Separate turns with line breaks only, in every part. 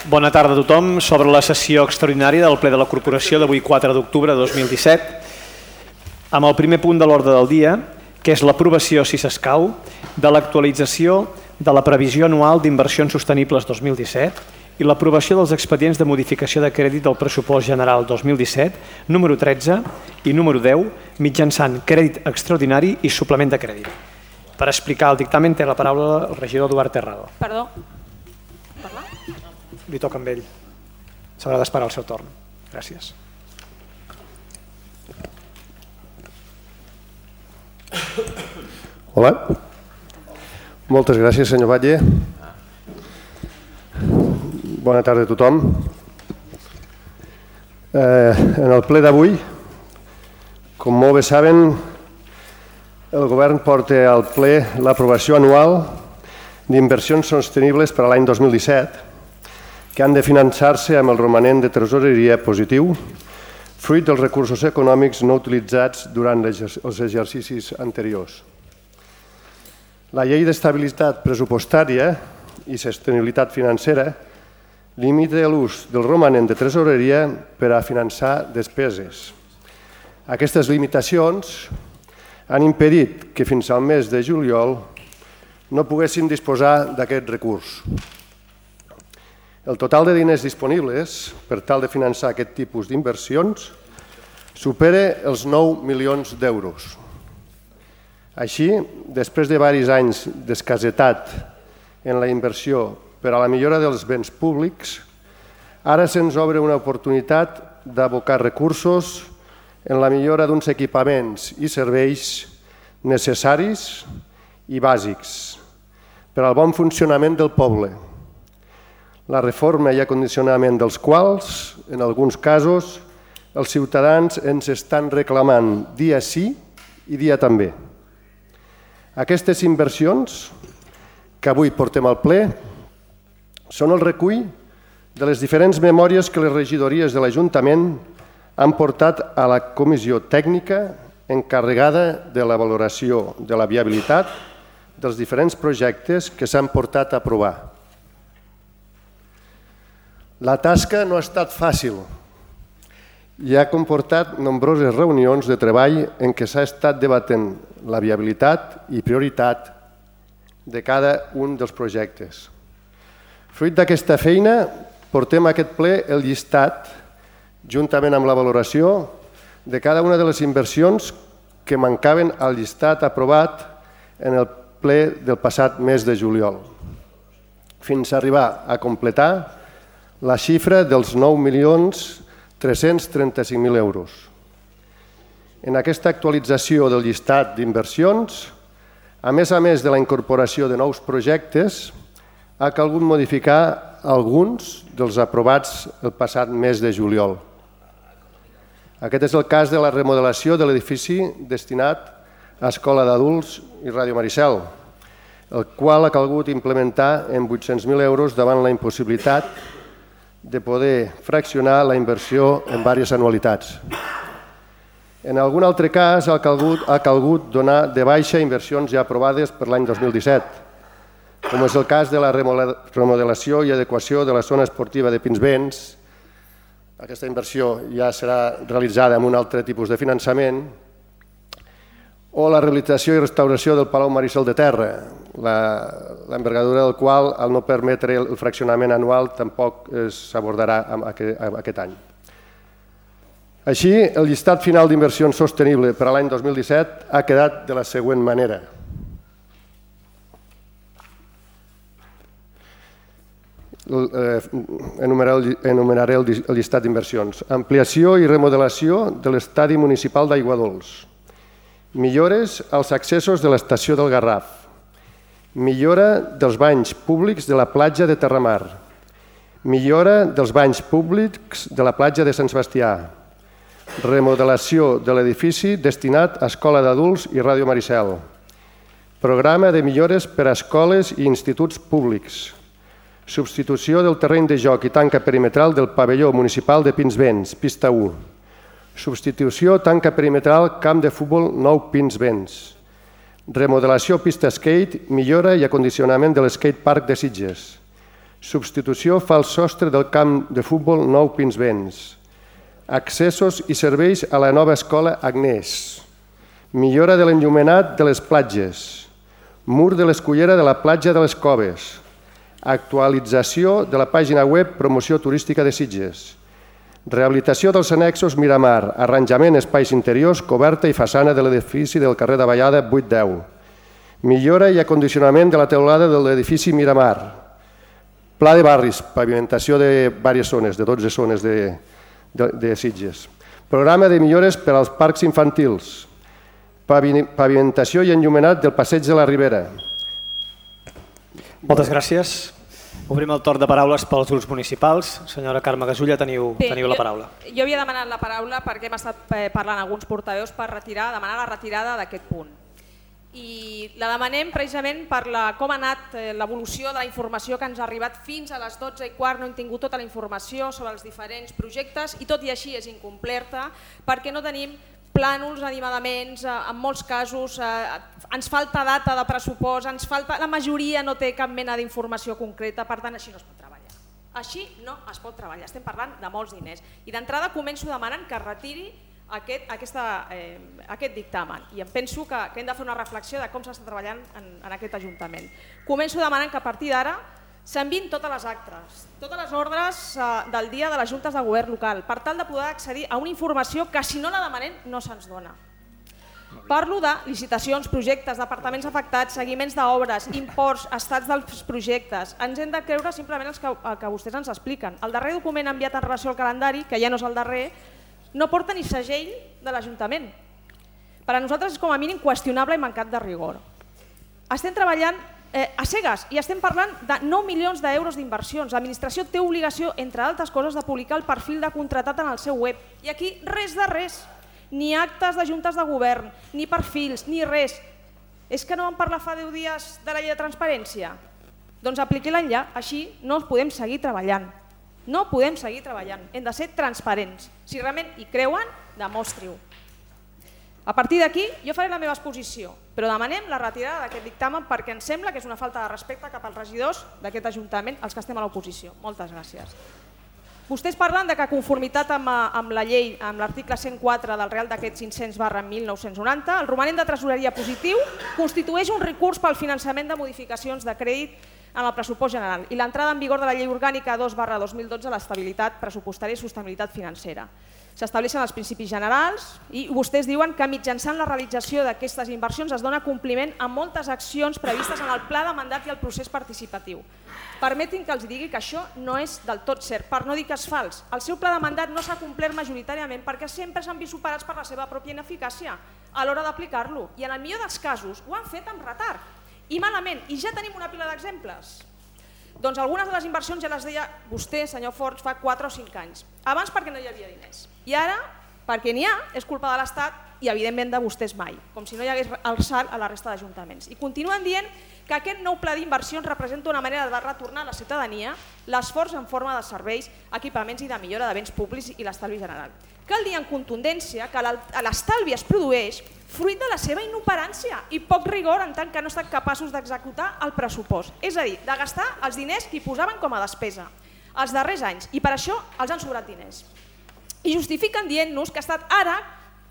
Bona tarda a tothom. S'obre la sessió extraordinària del ple de la Corporació d'avui 4 d'octubre de 2017 amb el primer punt de l'ordre del dia, que és l'aprovació, si s'escau, de l'actualització de la previsió anual d'inversions sostenibles 2017 i l'aprovació dels expedients de modificació de crèdit del pressupost general 2017, número 13 i número 10, mitjançant crèdit extraordinari i suplement de crèdit. Per explicar el dictamen té la paraula el regidor Eduard Terrado.
Perdó.
Li toca amb ell. S'haurà d'esperar el seu torn. Gràcies.
Hola. Moltes gràcies, senyor Batlle. Bona tarda a tothom. En el ple d'avui, com molt bé saben, el govern porta al ple l'aprovació anual d'inversions sostenibles per a l'any 2017 que han de finançar-se amb el romanent de tresoreria positiu, fruit dels recursos econòmics no utilitzats durant els exercicis anteriors. La llei d'estabilitat pressupostària i sostenibilitat financera limita l'ús del romanent de tresoreria per a finançar despeses. Aquestes limitacions han impedit que fins al mes de juliol no poguéssim disposar d'aquest recurs. El total de diners disponibles per tal de finançar aquest tipus d'inversions supera els 9 milions d'euros. Així, després de diversos anys d'escassetat en la inversió per a la millora dels béns públics, ara se'ns obre una oportunitat d'abocar recursos en la millora d'uns equipaments i serveis necessaris i bàsics per al bon funcionament del poble, la reforma i acondicionament dels quals, en alguns casos, els ciutadans ens estan reclamant dia sí i dia també. Aquestes inversions que avui portem al ple són el recull de les diferents memòries que les regidories de l'Ajuntament han portat a la comissió tècnica encarregada de la valoració de la viabilitat dels diferents projectes que s'han portat a aprovar. La tasca no ha estat fàcil i ha comportat nombroses reunions de treball en què s'ha estat debatent la viabilitat i prioritat de cada un dels projectes. Fruit d'aquesta feina, portem a aquest ple el llistat, juntament amb la valoració, de cada una de les inversions que mancaven al llistat aprovat en el ple del passat mes de juliol, fins a arribar a completar la xifra dels 9.335.000 euros. En aquesta actualització del llistat d'inversions, a més de la incorporació de nous projectes, ha calgut modificar alguns dels aprovats el passat mes de juliol. Aquest és el cas de la remodelació de l'edifici destinat a Escola d'Adults i Ràdio Maricel, el qual ha calgut implementar en 800.000 euros davant la impossibilitat de poder fraccionar la inversió en diverses anualitats. En algun altre cas ha calgut donar de baixa inversions ja aprovades per l'any 2017, com és el cas de la remodelació i adequació de la zona esportiva de Pinsbens. Aquesta inversió ja serà realitzada amb un altre tipus de finançament, o la rehabilitació i restauració del Palau Maricel de Terra, l'envergadura del qual, al no permetre el fraccionament anual, tampoc s'abordarà aquest any. Així, el llistat final d'inversions sostenible per a l'any 2017 ha quedat de la següent manera. Enumeraré el llistat d'inversions. Ampliació i remodelació de l'estadi municipal d'Aiguadols. Millores als accessos de l'estació del Garraf. Millora dels banys públics de la platja de Terramar. Millora dels banys públics de la platja de Sant Sebastià. Remodelació de l'edifici destinat a Escola d'Adults i Ràdio Maricel. Programa de millores per a escoles i instituts públics. Substitució del terreny de joc i tanca perimetral del pavelló municipal de Pinsbens, pista 1. Substitució tanca perimetral camp de futbol Nou Pinsbens. Remodelació pista skate, millora i acondicionament de l'skate park de Sitges. Substitució fa el sostre del camp de futbol Nou Pinsbens. Accessos i serveis a la nova escola Agnès. Millora de l'enllumenat de les platges. Mur de l'escullera de la platja de les Coves. Actualització de la pàgina web Promoció Turística de Sitges. Rehabilitació dels annexos Miramar. Arranjament espais interiors, coberta i façana de l'edifici del carrer de Vallada 810. Millora i acondicionament de la teulada de l'edifici Miramar. Pla de barris, pavimentació de diverses zones, de 12 zones de Sitges. Programa de millores per als parcs infantils. Pavimentació i enllumenat del passeig de la Ribera.
Moltes gràcies. Obrim el torn de paraules pels grups municipals. Senyora Carme Gasulla, teniu la paraula.
Jo havia demanat la paraula perquè hem estat parlant alguns portaveus per demanar la retirada d'aquest punt. I la demanem precisament per com ha anat l'evolució de la informació que ens ha arribat fins a les 12:15. No hem tingut tota la informació sobre els diferents projectes i tot i així és incompleta perquè no tenim plànols, animadaments, en molts casos ens falta data de pressupost, la majoria no té cap mena d'informació concreta, per tant així no es pot treballar. Així no es pot treballar, estem parlant de molts diners. I d'entrada començo demanant que es retiri aquest dictamen i em penso que hem de fer una reflexió de com s'està treballant en aquest Ajuntament. Començo demanant que a partir d'ara s'enviïn totes les actes, totes les ordres del dia de les juntes de govern local per tal de poder accedir a una informació que si no la demanem no se'ns dona. Parlo de licitacions, projectes, departaments afectats, seguiments d'obres, imports, estats dels projectes. Ens hem de creure simplement el que vostès ens expliquen. El darrer document enviat en relació al calendari, que ja no és el darrer, no porta ni segell de l'Ajuntament. Per a nosaltres és com a mínim qüestionable i mancat de rigor. Estem treballant a cegues i estem parlant de 9 milions d'euros d'inversions. L'administració té obligació, entre altres coses, de publicar el perfil de contratat en el seu web. I aquí res de res, ni actes de juntes de govern, ni perfils, ni res. És que no vam parlar fa 10 dies de la llei de transparència? Doncs apliqui-la ja, així no podem seguir treballant. No podem seguir treballant, hem de ser transparents. Si realment hi creuen, demostri-ho. A partir d'aquí jo faré la meva exposició, però demanem la retirada d'aquest dictamen perquè ens sembla que és una falta de respecte cap als regidors d'aquest Ajuntament, els que estem a l'oposició. Moltes gràcies. Vostès parlen de que conformitat amb la llei, amb l'article 104 del Real Decret 500/1990, el romanent de tresoreria positiu constitueix un recurs pel finançament de modificacions de crèdit en el pressupost general i l'entrada en vigor de la Llei Orgànica 2/2012 de l'estabilitat pressupostària i sostenibilitat financera. S'estableixen els principis generals i vostès diuen que mitjançant la realització d'aquestes inversions es dona compliment a moltes accions previstes en el pla de mandat i el procés participatiu. Permetin que els digui que això no és del tot cert, per no dir que és fals. El seu pla de mandat no s'ha complert majoritàriament perquè sempre s'han vist superats per la seva pròpia ineficàcia a l'hora d'aplicar-lo i en el millor dels casos ho han fet amb retard. I malament, i ja tenim una pila d'exemples. Doncs algunes de les inversions ja les deia vostè, senyor Forns, fa 4 o 5 anys. Abans perquè no hi havia diners. I ara, perquè n'hi ha, és culpa de l'Estat i evidentment de vostès mai, com si no hi hagués alçat a la resta d'ajuntaments. I continuen dient que aquest nou pla d'inversions representa una manera de retornar a la ciutadania l'esforç en forma de serveis, equipaments i de millora de béns públics i l'estalvi general. Cal dir en contundència que l'estalvi es produeix fruit de la seva inoperància i poc rigor en tant que no estan capaços d'executar el pressupost, és a dir, de gastar els diners que hi posaven com a despesa els darrers anys i per això els han sobrat diners. I justifiquen dient-nos que ha estat ara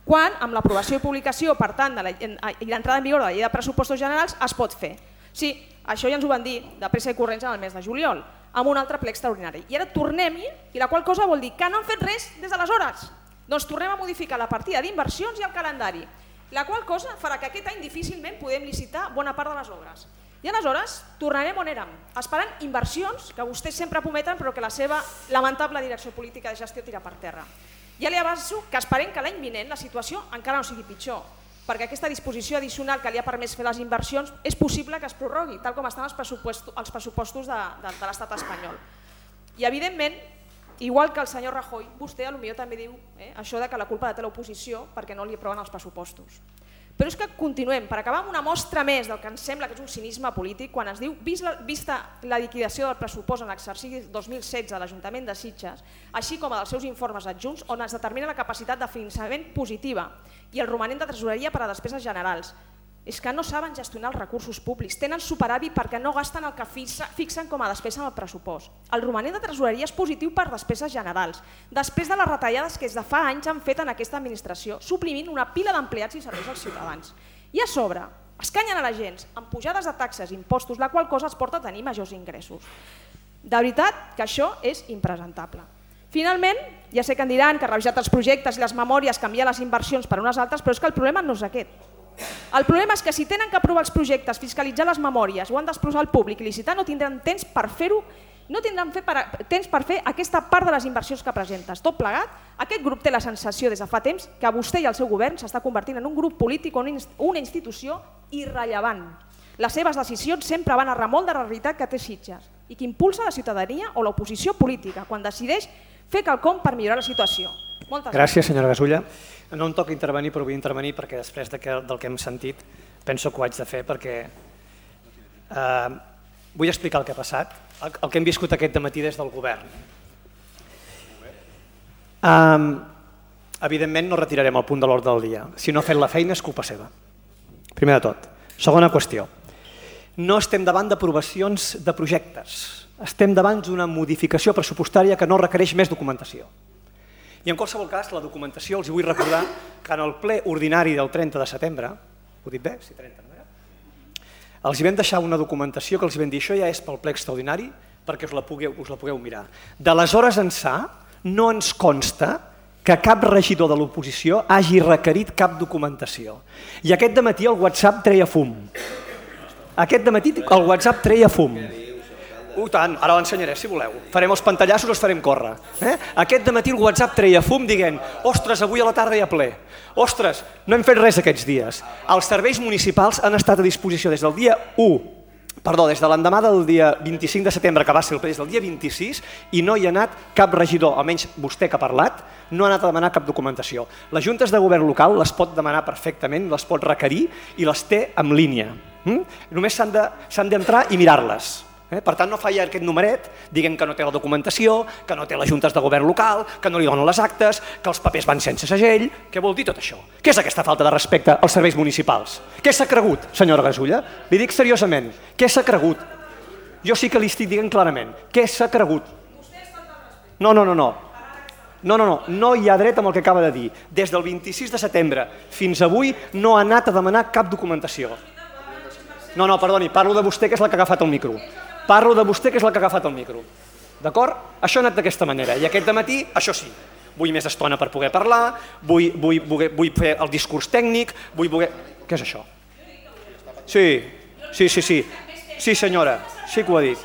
quan, amb l'aprovació i publicació, per tant, i l'entrada en vigor de la llei de pressupostos generals, es pot fer. Sí, això ja ens ho van dir de pressa i corrents en el mes de juliol, amb un altre ple extraordinari. I ara tornem-hi, i la qual cosa vol dir que no han fet res des d'aleshores. Doncs tornem a modificar la partida d'inversions i el calendari, la qual cosa farà que aquest any difícilment podem licitar bona part de les obres. I aleshores tornarem on érem, esperant inversions que vostès sempre prometen però que la seva lamentable direcció política de gestió tira per terra. Ja li avanço que esperem que l'any vinent la situació encara no sigui pitjor, perquè aquesta disposició addicional que li ha permès fer les inversions és possible que es prorrogui, tal com estan els pressupostos de l'estat espanyol. I evidentment, igual que el senyor Rajoy, vostè potser també diu això de que la culpa la té l'oposició perquè no li aproven els pressupostos. Però és que continuem, per acabar amb una mostra més del que ens sembla que és un cinisme polític, quan es diu, vista la liquidació del pressupost en l'exercici 2016 de l'Ajuntament de Sitges, així com dels seus informes adjunts, on es determina la capacitat de finançament positiva i el romanent de tresoreria per a despeses generals. és que no saben gestionar els recursos públics, tenen superàvit perquè no gasten el que fixen com a despesa en el pressupost. El romanent de tresoreria és positiu per despeses generals, després de les retallades que des de fa anys han fet en aquesta administració, suprimint una pila d'empleats i serveis als ciutadans. I a sobre, escanyen a la gent amb pujades de taxes i impostos, la qual cosa els porta a tenir majors ingressos. De veritat que això és impresentable. Finalment, ja sé que em diran que revisat els projectes i les memòries canvia les inversions per unes altres, però és que el problema no és aquest. El problema és que si tenen que aprovar els projectes, fiscalitzar les memòries o han d'exposar al públic i licitar, no tindran temps per fer-ho, no tindran temps per fer aquesta part de les inversions que presentes. Tot plegat, aquest grup té la sensació des de fa temps que vostè i el seu govern s'està convertint en un grup polític o una institució irrellevant. Les seves decisions sempre van a remolc de la realitat que té Sitges i que impulsa la ciutadania o l'oposició política quan decideix fer quelcom per millorar la situació. Moltes
gràcies, senyora Gasulla. No em toca intervenir, però vull intervenir perquè després del que hem sentit penso que ho haig de fer perquè vull explicar el que ha passat, el que hem viscut aquest dematí des del govern. Evidentment no retirarem el punt de l'ordre del dia. Si no ha fet la feina és culpa seva. Primer de tot. Segona qüestió. No estem davant d'aprovacions de projectes. Estem davant d'una modificació pressupostària que no requereix més documentació. I en qualsevol cas, la documentació, els vull recordar que en el ple ordinari del 30 de setembre, ho dic bé? Sí, 30, no era? Els vam deixar una documentació que els vam dir això ja és pel ple extraordinari perquè us la pugueu mirar. D'aleshores ençà no ens consta que cap regidor de l'oposició hagi requerit cap documentació. I aquest dematí el WhatsApp treia fum. Aquest dematí el WhatsApp treia fum. Tant, ara l'ensenyaré si voleu. Farem els pantallassos, els farem córrer. Aquest dematí el WhatsApp treia fum dient ostres, avui a la tarda hi ha ple. Ostres, no hem fet res aquests dies. Els serveis municipals han estat a disposició des del dia 1, des de l'endemà del dia 25 de setembre, que va ser el ple, des del dia 26, i no hi ha anat cap regidor, almenys vostè que ha parlat, no ha anat a demanar cap documentació. Les juntes de govern local les pot demanar perfectament, les pot requerir i les té en línia. Només s'han d'entrar i mirar-les. Per tant, no faci aquest numeret dient que no té la documentació, que no té les juntes de govern local, que no li donen les actes, que els papers van sense segell. Què vol dir tot això? Què és aquesta falta de respecte als serveis municipals? Què s'ha cregut, senyora Gasulla? Li dic seriosament, què s'ha cregut? Jo sí que li estic dient clarament, què s'ha cregut? No hi ha dret amb el que acaba de dir. Des del 26 de setembre fins avui no ha anat a demanar cap documentació. No, perdoni, parlo de vostè que és la que ha agafat el micro. Parlo de vostè que és la que ha agafat el micro. D'acord? Això ha anat d'aquesta manera. I aquest dematí, això sí, vull més estona per poder parlar, vull fer el discurs tècnic, Què és això? Sí. Sí, senyora, sí que ho ha dit.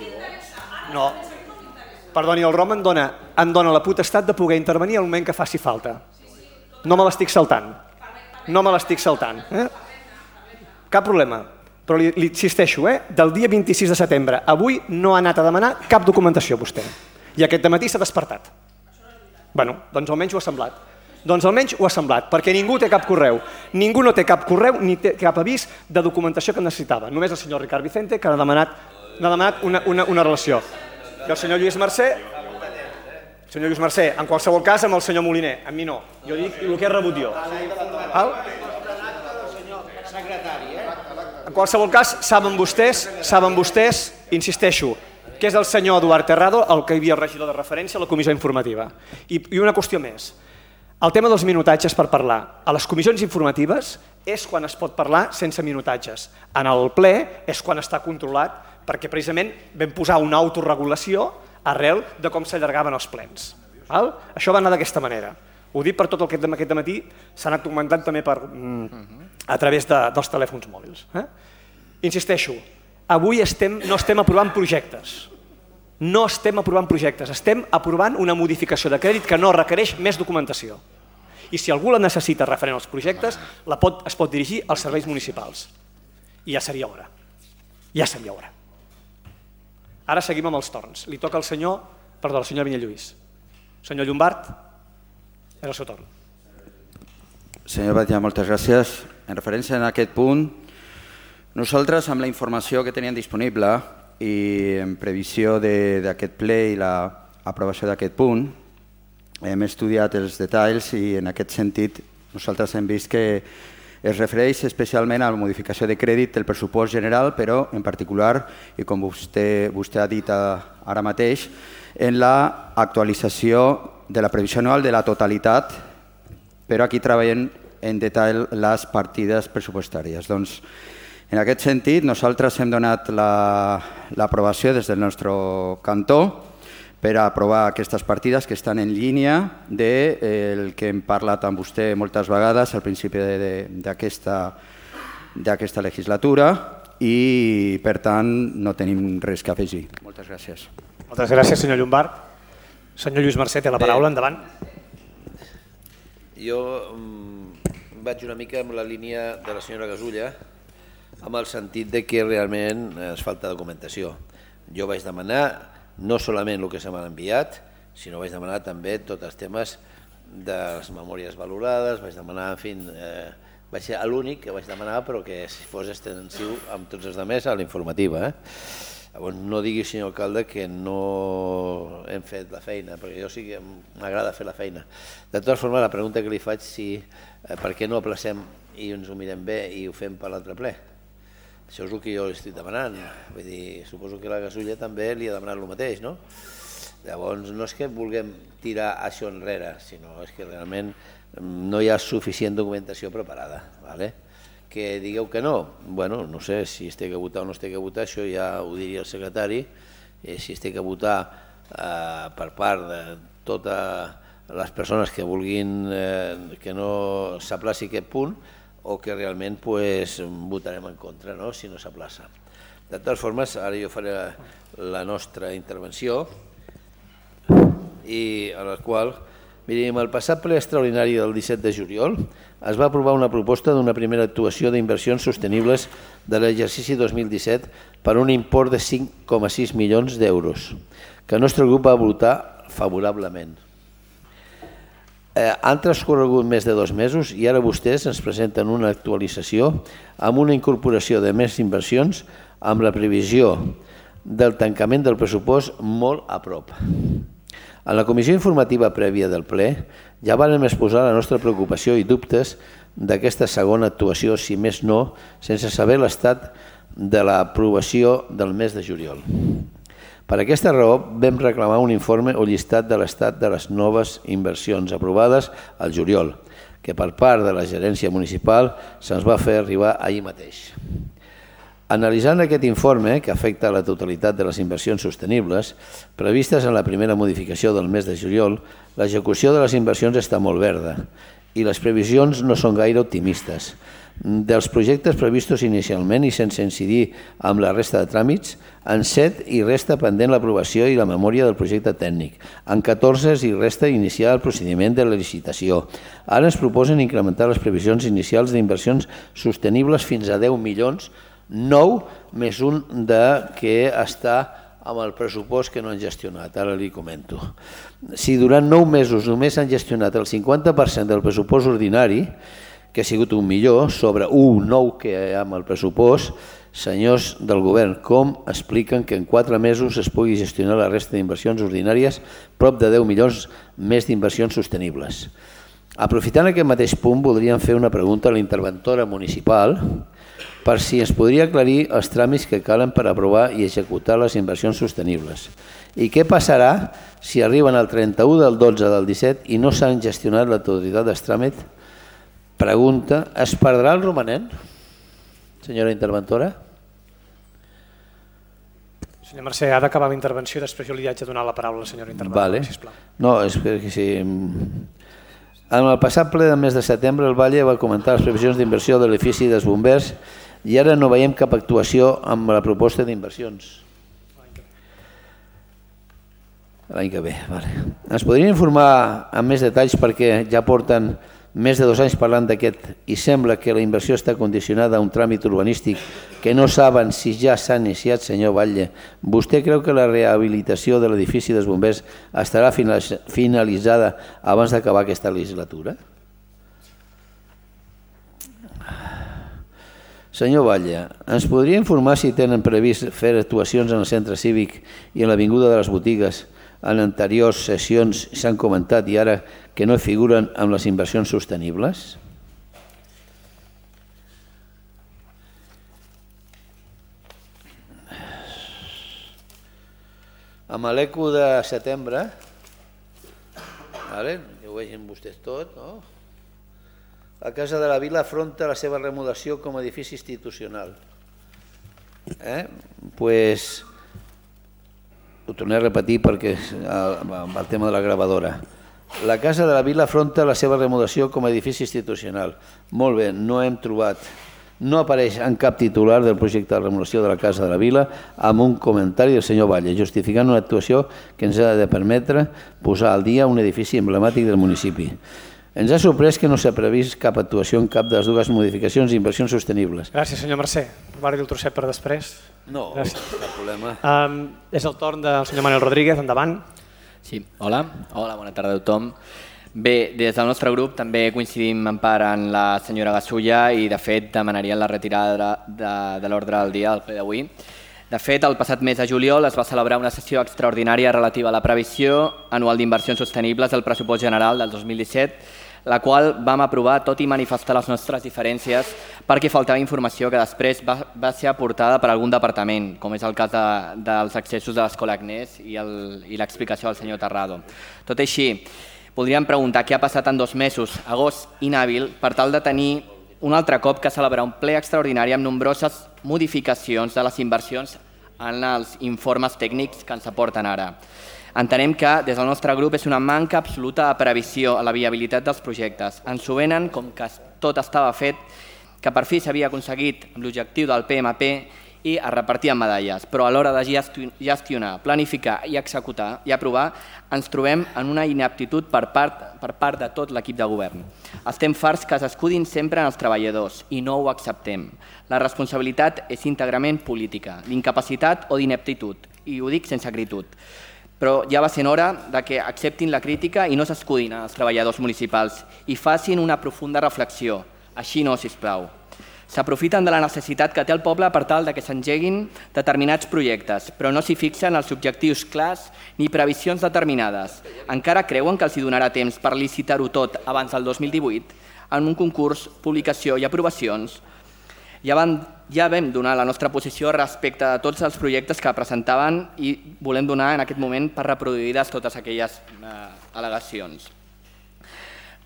No. Perdoni, el ROM em dona la potestat de poder intervenir al moment que faci falta. No me l'estic saltant. Cap problema. Però li insisteixo, del dia 26 de setembre avui no ha anat a demanar cap documentació vostè. I aquest dematí s'ha despertat. Doncs almenys ho ha semblat. Perquè ningú té cap correu. Ningú no té cap correu ni té cap avís de documentació que necessitava. Només el senyor Ricard Vicente que n'ha demanat una relació. I el senyor Lluís Mercè, en qualsevol cas amb el senyor Moliner, amb mi no. Jo dic el que he rebut jo. En qualsevol cas, saben vostès, insisteixo, que és el senyor Eduard Terrado el que hi havia regidor de referència a la comissió informativa. I una qüestió més. El tema dels minutatges per parlar. A les comissions informatives és quan es pot parlar sense minutatges. En el ple és quan està controlat perquè precisament vam posar una autorregulació arrel de com s'allargaven els plens. Això va anar d'aquesta manera. Ho dic per tot el que aquest dematí s'ha anat comentant també a través dels telèfons mòbils. Insisteixo, avui no estem aprovant projectes. Estem aprovant una modificació de crèdit que no requereix més documentació. I si algú la necessita referent als projectes, es pot dirigir als serveis municipals. I ja seria hora. Ara seguim amb els torns. Li toca al senyor Vinyalluís. Senyor Llombart, és el seu torn.
Senyor Batlle, moltes gràcies. En referència a aquest punt, nosaltres amb la informació que teníem disponible i en previsió d'aquest ple i l'aprovació d'aquest punt, hem estudiat els detalls i en aquest sentit nosaltres hem vist que Es refereix especialment a la modificació de crèdit del pressupost general, però en particular, i com vostè ha dit ara mateix, en l'actualització de la previsió anual de la totalitat, però aquí treballem en detall les partides pressupostàries. Doncs, en aquest sentit, nosaltres hem donat l'aprovació des del nostre cantó per a aprovar aquestes partides que estan en línia del que hem parlat amb vostè moltes vegades al principi d'aquesta legislatura i, per tant, no tenim res que afegir. Moltes gràcies.
Moltes gràcies, senyor Llombart. Senyor Lluís Mercè, té la paraula, endavant.
Jo vaig una mica amb la línia de la senyora Gasulla, amb el sentit de que realment ens falta documentació. Jo vaig demanar no solament el que se m'ha enviat, sinó vaig demanar també tots els temes de les memòries valorades, vaig demanar, en fi, vaig ser l'únic que vaig demanar, però que si fos extensiu amb tots els altres a la informativa. Llavors, no digui, senyor alcalde, que no hem fet la feina, perquè jo sí que m'agrada fer la feina. De totes formes, la pregunta que li faig és per què no aplacem i ens ho mirem bé i ho fem per l'altre ple? Això és el que jo li estic demanant. Vull dir, suposo que la Gasulla també li ha demanat el mateix, no? Llavors, no és que vulguem tirar això enrere, sinó és que realment no hi ha suficient documentació preparada. Que digueu que no, bueno, no sé si es té que votar o no es té que votar, això ja ho diria el secretari, si es té que votar per part de totes les persones que vulguin que no s'aplaci aquest punt, o que realment votarem en contra si no s'aplaça. De totes formes, ara jo faré la nostra intervenció, i a la qual, mirin, el passat ple extraordinari del 17 de juliol es va aprovar una proposta d'una primera actuació d'inversions sostenibles de l'exercici 2017 per un import de 5,6 milions d'euros, que el nostre grup va votar favorablement. Han transcorregut més de 2 mesos i ara vostès ens presenten una actualització amb una incorporació de més inversions amb la previsió del tancament del pressupost molt a prop. En la comissió informativa prèvia del ple ja vàrem exposar la nostra preocupació i dubtes d'aquesta segona actuació, si més no, sense saber l'estat de l'aprovació del mes de juliol. Per aquesta raó vam reclamar un informe o llistat de l'estat de les noves inversions aprovades al juliol, que per part de la gerència municipal se'ns va fer arribar ahir mateix. Analitzant aquest informe, que afecta la totalitat de les inversions sostenibles, previstes en la primera modificació del mes de juliol, l'execució de les inversions està molt verda i les previsions no són gaire optimistes. Dels projectes previstos inicialment i sense incidir amb la resta de tràmits, en 7 hi resta pendent l'aprovació i la memòria del projecte tècnic. En 14 hi resta iniciar el procediment de la licitació. Ara ens proposen incrementar les previsions inicials d'inversions sostenibles fins a 10 milions, 9 més un que està amb el pressupost que no han gestionat, ara li comento. Si durant 9 mesos només han gestionat el 50% del pressupost ordinari, que ha sigut un millor, sobre 1,9 que hi ha amb el pressupost, senyors del govern, com expliquen que en 4 mesos es pugui gestionar la resta d'inversions ordinàries prop de 10 milions més d'inversions sostenibles? Aprofitant aquest mateix punt, voldríem fer una pregunta a la interventora municipal per si ens podria aclarir els tràmits que calen per aprovar i executar les inversions sostenibles. I què passarà si arriben al 31 del 12 del 17 i no s'han gestionat la totalitat dels tràmits? Pregunta, es perdrà el romanent, senyora interventora?
Senyor Mercè, ha d'acabar la intervenció i després jo li haig de donar la paraula a la senyora interventora, sisplau.
No, és que sí. En el passat ple del mes de setembre, el Valle va comentar les previsions d'inversió de l'edifici dels bombers i ara no veiem cap actuació amb la proposta d'inversions. L'any que ve, vale. Ens podrien informar amb més detalls perquè ja porten més de 2 anys parlant d'aquest i sembla que la inversió està condicionada a un tràmit urbanístic que no saben si ja s'ha iniciat, senyor Batlle. Vostè creu que la rehabilitació de l'edifici dels bombers estarà finalitzada abans d'acabar aquesta legislatura? Senyor Batlle, ens podria informar si tenen previst fer actuacions en el centre cívic i en l'Avinguda de les Botigues? En anteriors sessions s'han comentat i ara que no figuren amb les inversions sostenibles? amb l'ECO de setembre, ho vegin vostès tot, no? La Casa de la Vila afronta la seva remodelació com a edifici institucional. Pues, ho tornaré a repetir perquè el tema de la gravadora. La Casa de la Vila afronta la seva remodelació com a edifici institucional. Molt bé, no hem trobat, no apareix en cap titular del projecte de remodelació de la Casa de la Vila amb un comentari del senyor Valle, justificant una actuació que ens ha de permetre posar al dia un edifici emblemàtic del municipi. Ens ha sorprès que no s'ha previst cap actuació en cap de les dues modificacions i inversions sostenibles.
Gràcies, senyor Mercè. Guardi el trosset per després.
No, cap problema.
És el torn del senyor Manuel Rodríguez, endavant.
Sí, hola, bona tarda a tothom. Bé, des del nostre grup també coincidim en part en la senyora Gasulla i de fet demanaríem la retirada de l'ordre del dia del ple d'avui. De fet, el passat mes de juliol es va celebrar una sessió extraordinària relativa a la previsió anual d'inversions sostenibles del pressupost general del 2017, la qual vam aprovar tot i manifestar les nostres diferències perquè faltava informació que després va ser aportada per algun departament, com és el cas dels accessos de l'Escola Agnès i l'explicació del senyor Terrado. Tot així, podríem preguntar què ha passat en 2 mesos, agost inhàbil, per tal de tenir un altre cop que celebrar un ple extraordinari amb nombroses modificacions de les inversions en els informes tècnics que ens aporten ara. Entenem que des del nostre grup és una manca absoluta de previsió a la viabilitat dels projectes. Ens ho venen com que tot estava fet, que per fi s'havia aconseguit amb l'objectiu del PMP i es repartien medalles, però a l'hora de gestionar, planificar i executar i aprovar ens trobem en una inaptitud per part de tot l'equip de govern. Estem farts que s'escudin sempre en els treballadors i no ho acceptem. La responsabilitat és íntegrament política, d'incapacitat o d'ineptitud, i ho dic sense acritud. Però ja va sent hora que acceptin la crítica i no s'escudin els treballadors municipals i facin una profunda reflexió. Així no, sisplau. S'aprofiten de la necessitat que té el poble per tal que s'engeguin determinats projectes, però no s'hi fixen els objectius clars ni previsions determinades. Encara creuen que els hi donarà temps per licitar-ho tot abans del 2018 en un concurs, publicació i aprovacions? Ja vam donar la nostra posició respecte a tots els projectes que presentaven i volem donar en aquest moment per reproduïdes totes aquelles al·legacions.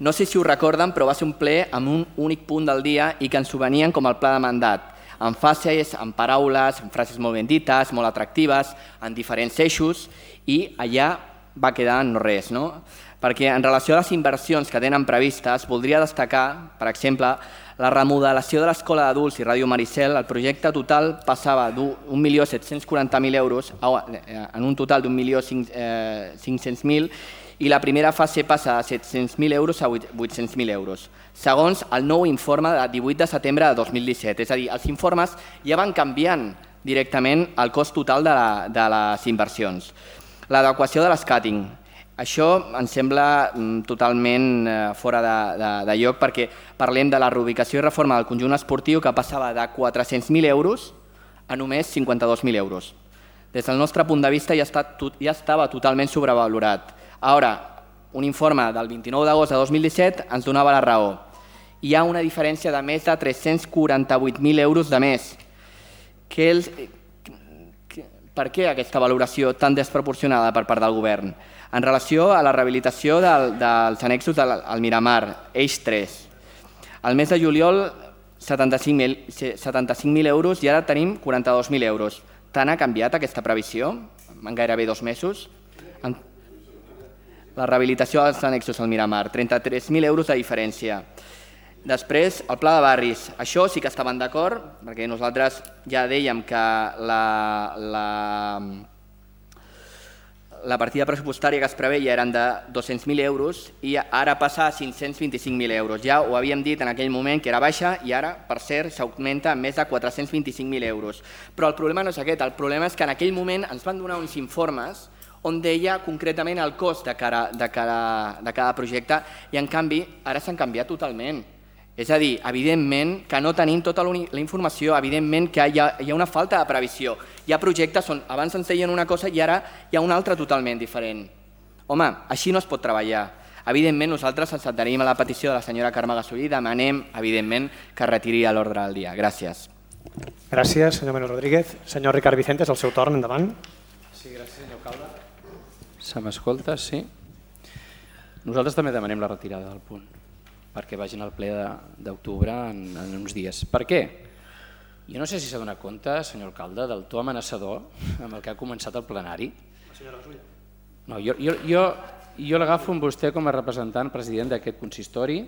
No sé si ho recorden, però va ser un ple amb un únic punt del dia i que ens ho venien com el pla de mandat, amb fases, amb paraules, amb frases molt ben dites, molt atractives, en diferents eixos, i allà va quedar en no res, no? Perquè en relació a les inversions que tenen previstes, voldria destacar, per exemple, la remodelació de l'Escola d'Adults i Ràdio Maricel. El projecte total passava d'1.740.000 euros en un total d'1.500.000 i la primera fase passa de 700.000 euros a 800.000 euros, segons el nou informe de 18 de setembre de 2017. És a dir, els informes ja van canviant directament el cost total de les inversions. L'adequació de l'escàting. Això ens sembla totalment fora de lloc perquè parlem de la reubicació i reforma del conjunt esportiu que passava de 400.000 euros a només 52.000 euros. Des del nostre punt de vista ja estava totalment sobrevalorat. Ara, un informe del 29 d'agost de 2017 ens donava la raó. Hi ha una diferència de més de 348.000 euros de més. Per què aquesta valoració tan desproporcionada per part del govern? En relació a la rehabilitació dels annexos del Miramar, eix 3. Al mes de juliol, 75.000 euros i ara tenim 42.000 euros. Tant ha canviat aquesta previsió en gairebé 2 mesos? La rehabilitació dels annexos al Miramar, 33.000 euros de diferència. Després, el pla de barris. Això sí que estaven d'acord, perquè nosaltres ja dèiem que la partida pressupostària que es preveia eren de 200.000 euros i ara passa a 525.000 euros. Ja ho havíem dit en aquell moment que era baixa i ara, per cert, s'augmenta a més de 425.000 euros. Però el problema no és aquest, el problema és que en aquell moment ens van donar uns informes on deia concretament el cost de cada projecte i en canvi ara s'han canviat totalment. És a dir, evidentment que no tenim tota la informació, evidentment que hi ha una falta de previsió. Hi ha projectes on abans ens deien una cosa i ara hi ha una altra totalment diferent. Home, així no es pot treballar. Evidentment nosaltres ens adherim a la petició de la senyora Carme Gasolí i demanem, evidentment, que retiri a l'ordre del dia. Gràcies.
Gràcies, senyor Manuel Rodríguez. Senyor Ricard Vicente, és el seu torn, endavant.
Sí, gràcies, senyor alcalde. Se m'escolta, sí? Nosaltres també demanem la retirada del punt, perquè vagin al ple d'octubre en uns dies. Per què? Jo no sé si s'ha donat compte, senyor alcalde, del to amenaçador amb el que ha començat el plenari. No, jo l'agafo amb vostè com a representant president d'aquest consistori.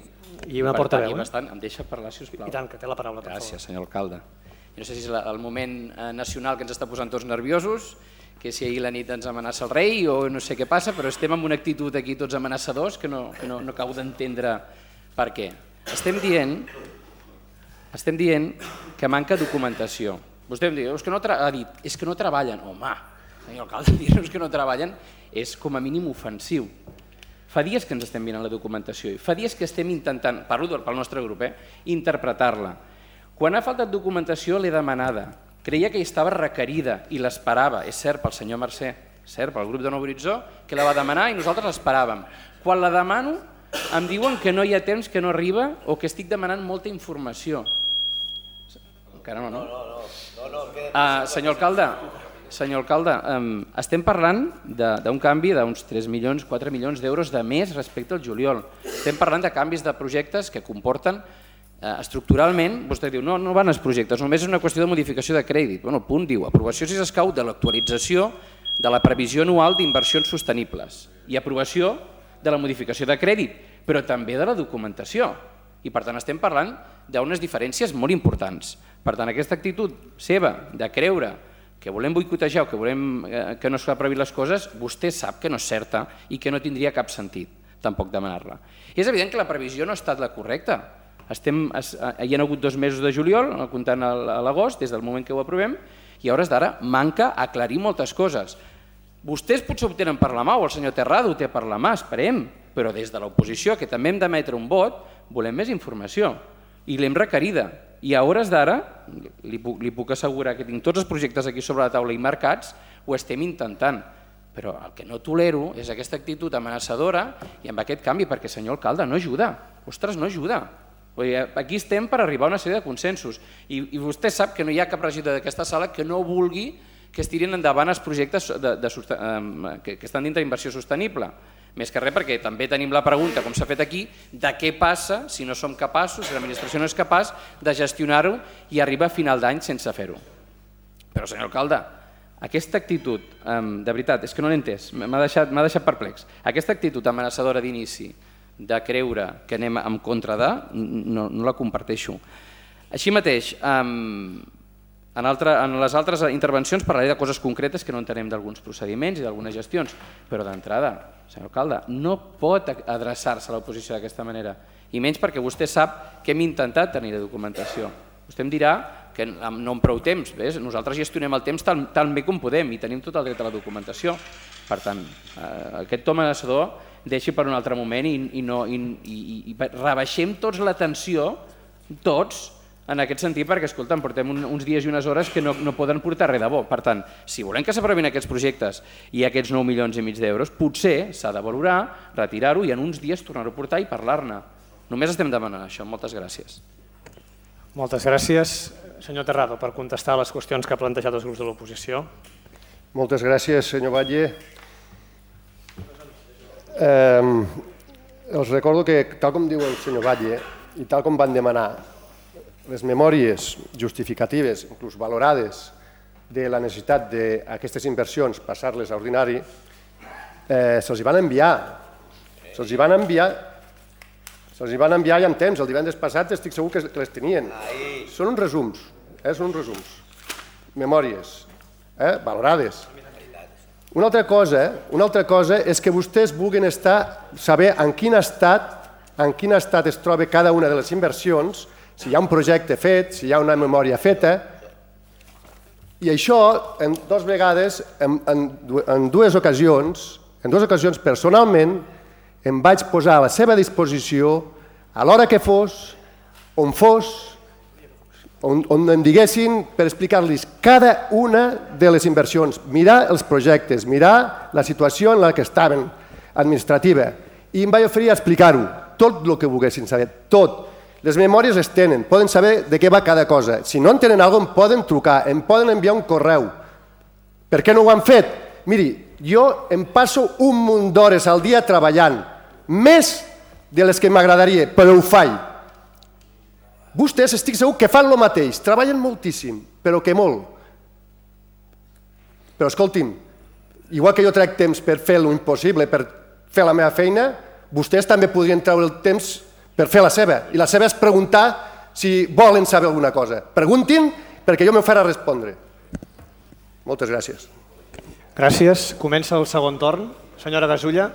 I una portaveu.
Em deixa parlar, si us plau.
I tant, que té la paraula, per favor.
Gràcies, senyor alcalde. Jo no sé si és el moment nacional que ens està posant tots nerviosos, que si ahir la nit ens amenaça el rei o no sé què passa, però estem amb una actitud aquí tots amenaçadors que no acabo d'entendre per què. Estem dient que manca documentació. Vostè em diu, ha dit, és que no treballen. Home, senyor alcalde, dir-nos que no treballen és com a mínim ofensiu. Fa dies que ens estem mirant la documentació i fa dies que estem intentant, parlo pel nostre grup, interpretar-la. Quan ha faltat documentació l'he demanada. Creia que hi estava requerida i l'esperava, és cert, pel senyor Mercè, cert, pel grup de Nou Horitzó, que la va demanar i nosaltres l'esperàvem. Quan la demano em diuen que no hi ha temps, que no arriba o que estic demanant molta informació. Encara no, no? Senyor alcalde, estem parlant d'un canvi d'uns 3 milions, 4 milions d'euros de més respecte al juliol. Estem parlant de canvis de projectes que comporten estructuralment, vostè diu, no van els projectes, només és una qüestió de modificació de crèdit. El punt diu, aprovació si s'escau de l'actualització de la previsió anual d'inversions sostenibles i aprovació de la modificació de crèdit, però també de la documentació. I per tant estem parlant d'unes diferències molt importants. Per tant, aquesta actitud seva de creure que volem boicotejar o que volem que no s'aprovin les coses, vostè sap que no és certa i que no tindria cap sentit tampoc demanar-la. I és evident que la previsió no ha estat la correcta. Hi ha hagut 2 mesos de juliol, comptant a l'agost, des del moment que ho aprovem, i a hores d'ara manca aclarir moltes coses. Vostès potser ho tenen per la mà, o el senyor Terrado ho té per la mà, esperem, però des de l'oposició, que també hem d'emetre un vot, volem més informació, i l'hem requerida. I a hores d'ara, li puc assegurar que tinc tots els projectes aquí sobre la taula i marcats, ho estem intentant. Però el que no tolero és aquesta actitud amenaçadora i amb aquest canvi, perquè, senyor alcalde, no ajuda. Ostres, no ajuda. Aquí estem per arribar a una sèrie de consensos i vostè sap que no hi ha cap regidor d'aquesta sala que no vulgui que es tirin endavant els projectes que estan dintre d'inversió sostenible. Més que res perquè també tenim la pregunta, com s'ha fet aquí, de què passa si no som capaços, si l'administració no és capaç de gestionar-ho i arriba a final d'any sense fer-ho. Però, senyor alcalde, aquesta actitud, de veritat, és que no l'he entès, m'ha deixat perplex. Aquesta actitud amenaçadora d'inici, de creure que anem en contra de, no la comparteixo. Així mateix, en les altres intervencions parlaré de coses concretes que no entenem d'alguns procediments i d'algunes gestions, però d'entrada, senyor alcalde, no pot adreçar-se a l'oposició d'aquesta manera, i menys perquè vostè sap que hem intentat tenir la documentació. Vostè em dirà que no amb prou temps, nosaltres gestionem el temps tan bé com podem i tenim tot el dret a la documentació. Per tant, aquest to amenaçador deixi per un altre moment i rebaixem tots la tensió, tots, en aquest sentit, perquè, escolta'm, portem uns dies i unes hores que no poden portar res de bo. Per tant, si volem que s'aprovin aquests projectes i aquests 9,5 milions d'euros, potser s'ha de valorar, retirar-ho i en uns dies tornar-ho a portar i parlar-ne. Només estem demanant això. Moltes gràcies.
Moltes gràcies. Senyor Terrado, per contestar les qüestions que ha plantejat els grups de l'oposició.
Moltes gràcies, senyor Batlle. Els recordo que, tal com diu el senyor Batlle, i tal com van demanar les memòries justificatives, inclús valorades, de la necessitat d'aquestes inversions passar-les a ordinari, se'ls van enviar. Se'ls van enviar ja en temps. El divendres passat estic segur que les tenien. Són uns resums. Són uns resums. Memòries valorades. Una altra cosa és que vostès vulguin saber en quin estat es troba cada una de les inversions, si hi ha un projecte fet, si hi ha una memòria feta, i això, dues vegades, en dues ocasions personalment, em vaig posar a la seva disposició a l'hora que fos, on em diguessin per explicar-los cada una de les inversions, mirar els projectes, mirar la situació en la que estaven, administrativa, i em vaig oferir a explicar-ho, tot el que volguessin saber, tot. Les memòries es tenen, poden saber de què va cada cosa. Si no en tenen alguna cosa, em poden trucar, em poden enviar un correu. Per què no ho han fet? Miri, jo em passo un munt d'hores al dia treballant, més de les que m'agradaria, però ho faig. Vostès estic segur que fan el mateix, treballen moltíssim, però que molt. Però escolti'm, igual que jo trec temps per fer l'impossible, per fer la meva feina, vostès també podrien treure el temps per fer la seva. I la seva és preguntar si volen saber alguna cosa. Preguntin, perquè jo m'ofereixo a respondre. Moltes gràcies.
Gràcies. Comença el segon torn. Senyora Gasulla.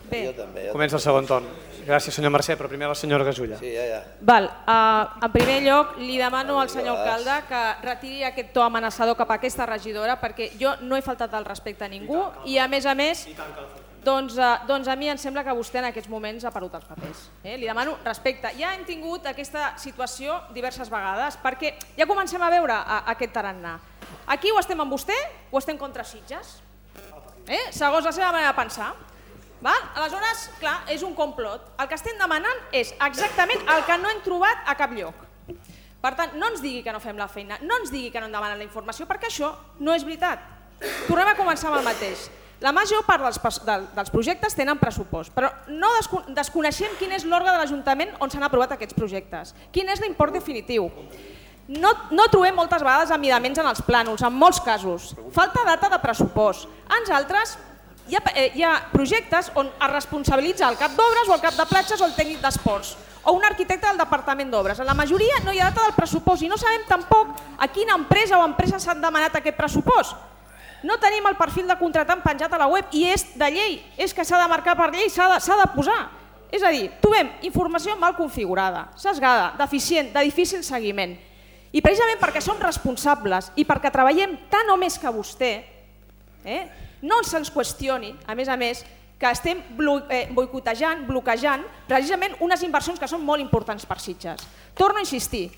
Bé.
Comença el segon torn. Gràcies, senyor Mercè, però primer la senyora Gasulla.
Sí, ja.
Val. En primer lloc, li demano al senyor alcalde que retiri aquest to amenaçador cap a aquesta regidora, perquè jo no he faltat el respecte a ningú i, a més, doncs a mi em sembla que vostè en aquests moments ha perdut els papers. Li demano respecte. Ja hem tingut aquesta situació diverses vegades, perquè ja comencem a veure aquest tarannà. Aquí o estem amb vostè o estem contra Sitges, segons la seva manera de pensar. Aleshores, clar, és un complot. El que estem demanant és exactament el que no hem trobat a cap lloc. Per tant, no ens digui que no fem la feina, no ens digui que no en demanen la informació, perquè això no és veritat. Tornem a començar amb el mateix. La major part dels projectes tenen pressupost, però no desconeixem quin és l'òrgan de l'Ajuntament on s'han aprovat aquests projectes, quin és l'import definitiu. No trobem moltes vegades amidaments en els plànols, en molts casos. Falta data de pressupost. En altres hi ha projectes on es responsabilitza el cap d'obres o el cap de platges o el tècnic d'esports o un arquitecte del departament d'obres. En la majoria no hi ha data del pressupost i no sabem tampoc a quina empresa o empresa s'han demanat aquest pressupost. No tenim el perfil de contractant penjat a la web i és de llei, és que s'ha de marcar per llei, s'ha de posar. És a dir, trobem informació mal configurada, sesgada, deficient, de difícil seguiment. I precisament perquè som responsables i perquè treballem tant o més que vostè, no se'ns qüestioni, a més, que estem boicotejant, bloquejant precisament unes inversions que són molt importants per Sitges. Torno a insistir,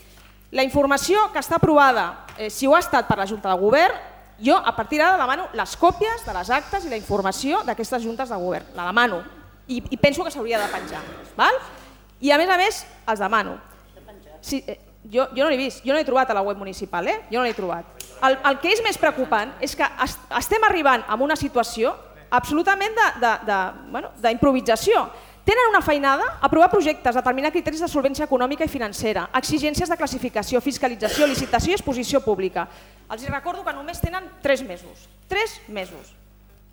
la informació que està aprovada, si ho ha estat per la Junta de Govern, jo a partir d'ara demano les còpies de les actes i la informació d'aquestes juntes de govern. La demano i penso que s'hauria de penjar. I a més, els demano. Jo no l'he vist, jo no l'he trobat a la web municipal, jo no l'he trobat. El que és més preocupant és que estem arribant a una situació absolutament d'improvisació. Tenen una feinada, aprovar projectes, determinar criteris de solvència econòmica i financera, exigències de classificació, fiscalització, licitació i exposició pública. Els recordo que només tenen 3 mesos. 3 mesos.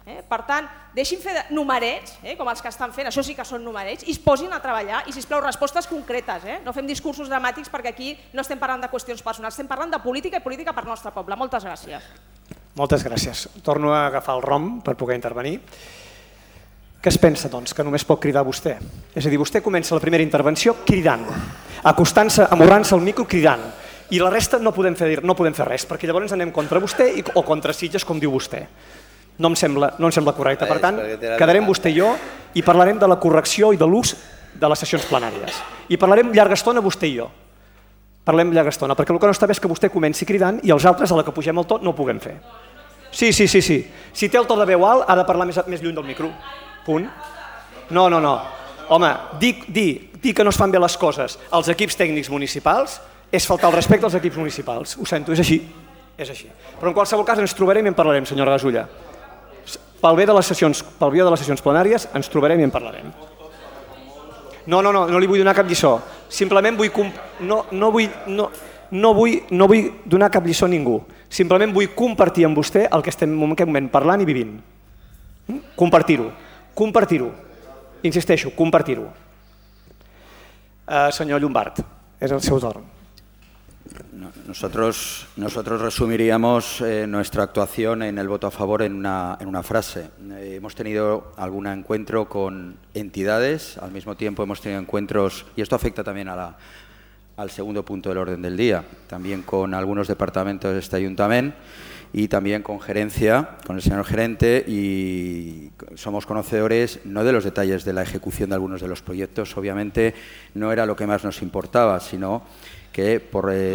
Per tant, deixin fer numerets, com els que estan fent, això sí que són numerets, i es posin a treballar i, sisplau, respostes concretes. No fem discursos dramàtics perquè aquí no estem parlant de qüestions personals, estem parlant de política i política per al nostre poble. Moltes gràcies.
Moltes gràcies. Torno a agafar el rom per poder intervenir. Què es pensa, doncs, que només pot cridar vostè? És a dir, vostè comença la primera intervenció cridant, acostant-se, amorrant-se al micro cridant, i la resta no podem fer res, perquè llavors anem contra vostè o contra Sitges, com diu vostè. No em sembla correcte. Per tant, quedarem vostè i jo i parlarem de la correcció i de l'ús de les sessions plenàries. I parlarem llarga estona vostè i jo. Parlem llarga estona, perquè el que no està bé és que vostè comenci cridant i els altres, a la que pugem el to, no ho puguem fer. Sí. Si té el to de veu alt, ha de parlar més lluny del micro. Punt. No. Home, dir que no es fan bé les coses als equips tècnics municipals és faltar el respecte als equips municipals. Ho sento, és així. Però en qualsevol cas ens trobarem i en parlarem, senyora Gasulla. Pel bé de les sessions plenàries ens trobarem i en parlarem. No li vull donar cap lliçó. Simplement no vull donar cap lliçó a ningú. Simplement vull compartir amb vostè el que estem en aquest moment parlant i vivint. Compartir-ho. Insisteixo, compartir-ho. Senyor Llombart, és el seu torn.
Nosotros resumiríamos nuestra actuación en el voto a favor en una frase. Hemos tenido algún encuentro con entidades, al mismo tiempo hemos tenido encuentros, y esto afecta también al segundo punto del orden del día, también con algunos departamentos de este ayuntamiento y también con gerencia, con el señor gerente, y somos conocedores no de los detalles de la ejecución de algunos de los proyectos, obviamente no era lo que más nos importaba, sino que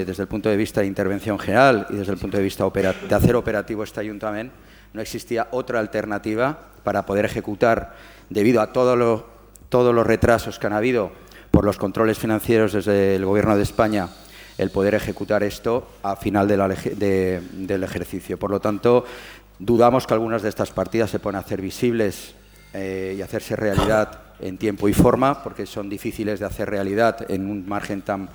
desde el punto de vista de intervención general y desde el punto de vista de hacer operativo este ayuntamiento, no existía otra alternativa para poder ejecutar, debido a todos los retrasos que han habido por los controles financieros desde el Gobierno de España, el poder ejecutar esto a final del ejercicio. Por lo tanto, Dudamos que algunas de estas partidas se puedan hacer visibles y hacerse realidad en tiempo y forma, porque son difíciles de hacer realidad en un margen tan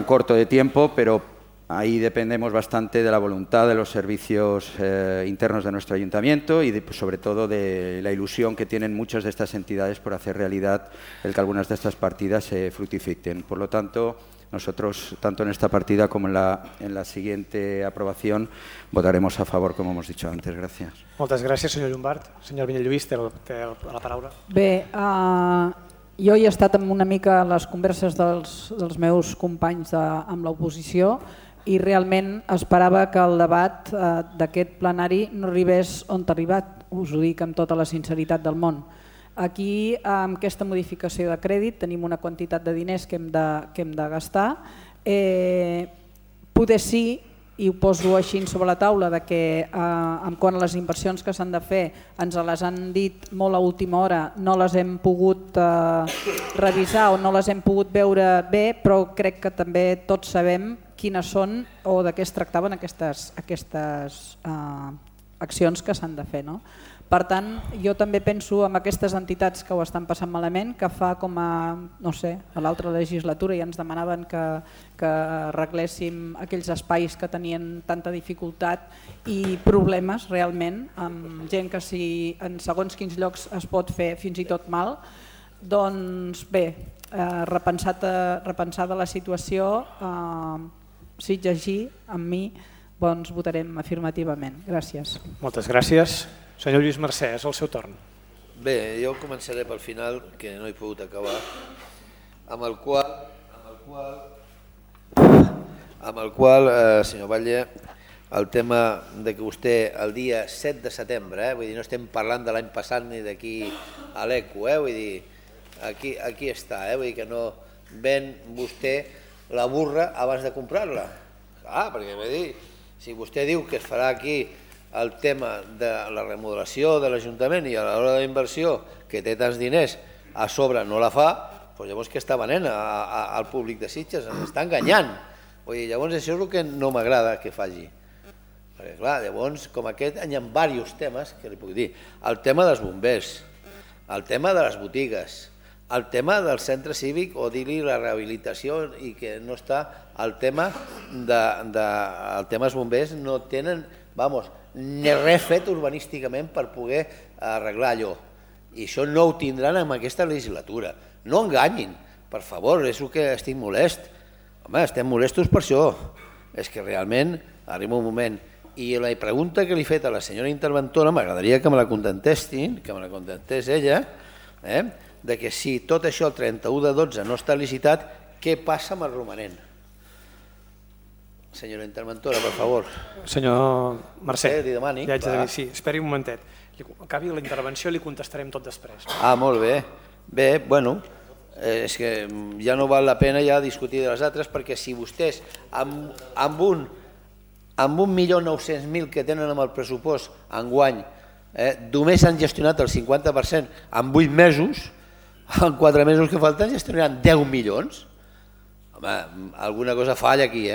corto de tiempo, pero ahí dependemos bastante de la voluntad de los servicios internos de nuestro ayuntamiento y sobre todo de la ilusión que tienen muchas de estas entidades por hacer realidad el que algunas de estas partidas se fructifiquen. Por lo tanto, nosotros, tanto en esta partida como en la siguiente aprobación, votaremos a favor, como hemos dicho antes. Gràcies.
Moltes gràcies, senyor Llombart. Senyor Vinyalluís, té la paraula.
Bé, jo he estat una mica a les converses dels meus companys amb l'oposició i realment esperava que el debat d'aquest plenari no arribés on ha arribat, us ho dic amb tota la sinceritat del món. Aquí, amb aquesta modificació de crèdit, tenim una quantitat de diners que hem de gastar. Poder sí, i ho poso així sobre la taula, que quant a les inversions que s'han de fer ens les han dit molt a última hora, no les hem pogut revisar o no les hem pogut veure bé, però crec que també tots sabem quines són o de què es tractaven aquestes accions que s'han de fer. Per tant, jo també penso en aquestes entitats que ho estan passant malament, que fa com a, no sé, a l'altra legislatura ja ens demanaven que arregléssim aquells espais que tenien tanta dificultat i problemes realment, amb gent que si en segons quins llocs es pot fer fins i tot mal, doncs bé, repensada la situació, si llegir amb mi, doncs votarem afirmativament. Gràcies.
Moltes gràcies. Senyor Lluís Mercè, és el seu torn.
Bé, jo començaré pel final, que no he pogut acabar, amb el qual, senyor Batlle, el tema de que vostè el dia 7 de setembre, vull dir, no estem parlant de l'any passat ni d'aquí a l'ECO, vull dir, aquí està, vull dir que no ven vostè la burra abans de comprar-la. Clar, perquè vull dir, si vostè diu que es farà aquí el tema de la remodelació de l'Ajuntament i a l'hora de la inversió que té tants diners a sobre no la fa, doncs llavors què està venent al públic de Sitges? Ens està enganyant. Llavors això és el que no m'agrada que faci. Perquè clar, llavors com aquest hi ha diversos temes que li puc dir. El tema dels bombers, el tema de les botigues, el tema del centre cívic o dir-li la rehabilitació i que no està el tema dels bombers no tenen, ni res fet urbanísticament per poder arreglar allò. I això no ho tindran en aquesta legislatura. No enganyin, per favor, és el que estic molest. Home, estem molestos per això. És que realment arriba un moment. I la pregunta que li he fet a la senyora interventora, m'agradaria que me la contestessin, que me la contestés ella, de que si tot això el 31/12 no està licitat, què passa amb el romanent? Senyora interventora, per favor.
Senyor Mercè,
li demani.
Sí, esperi un momentet. Acabi la intervenció i li contestarem tot després.
Molt bé. Bé, bueno, és que ja no val la pena ja discutir de les altres perquè si vostès amb 1.900.000 que tenen amb el pressupost enguany només han gestionat el 50% en 8 mesos, en 4 mesos que falten gestionaran 10 milions. Home, alguna cosa falla aquí,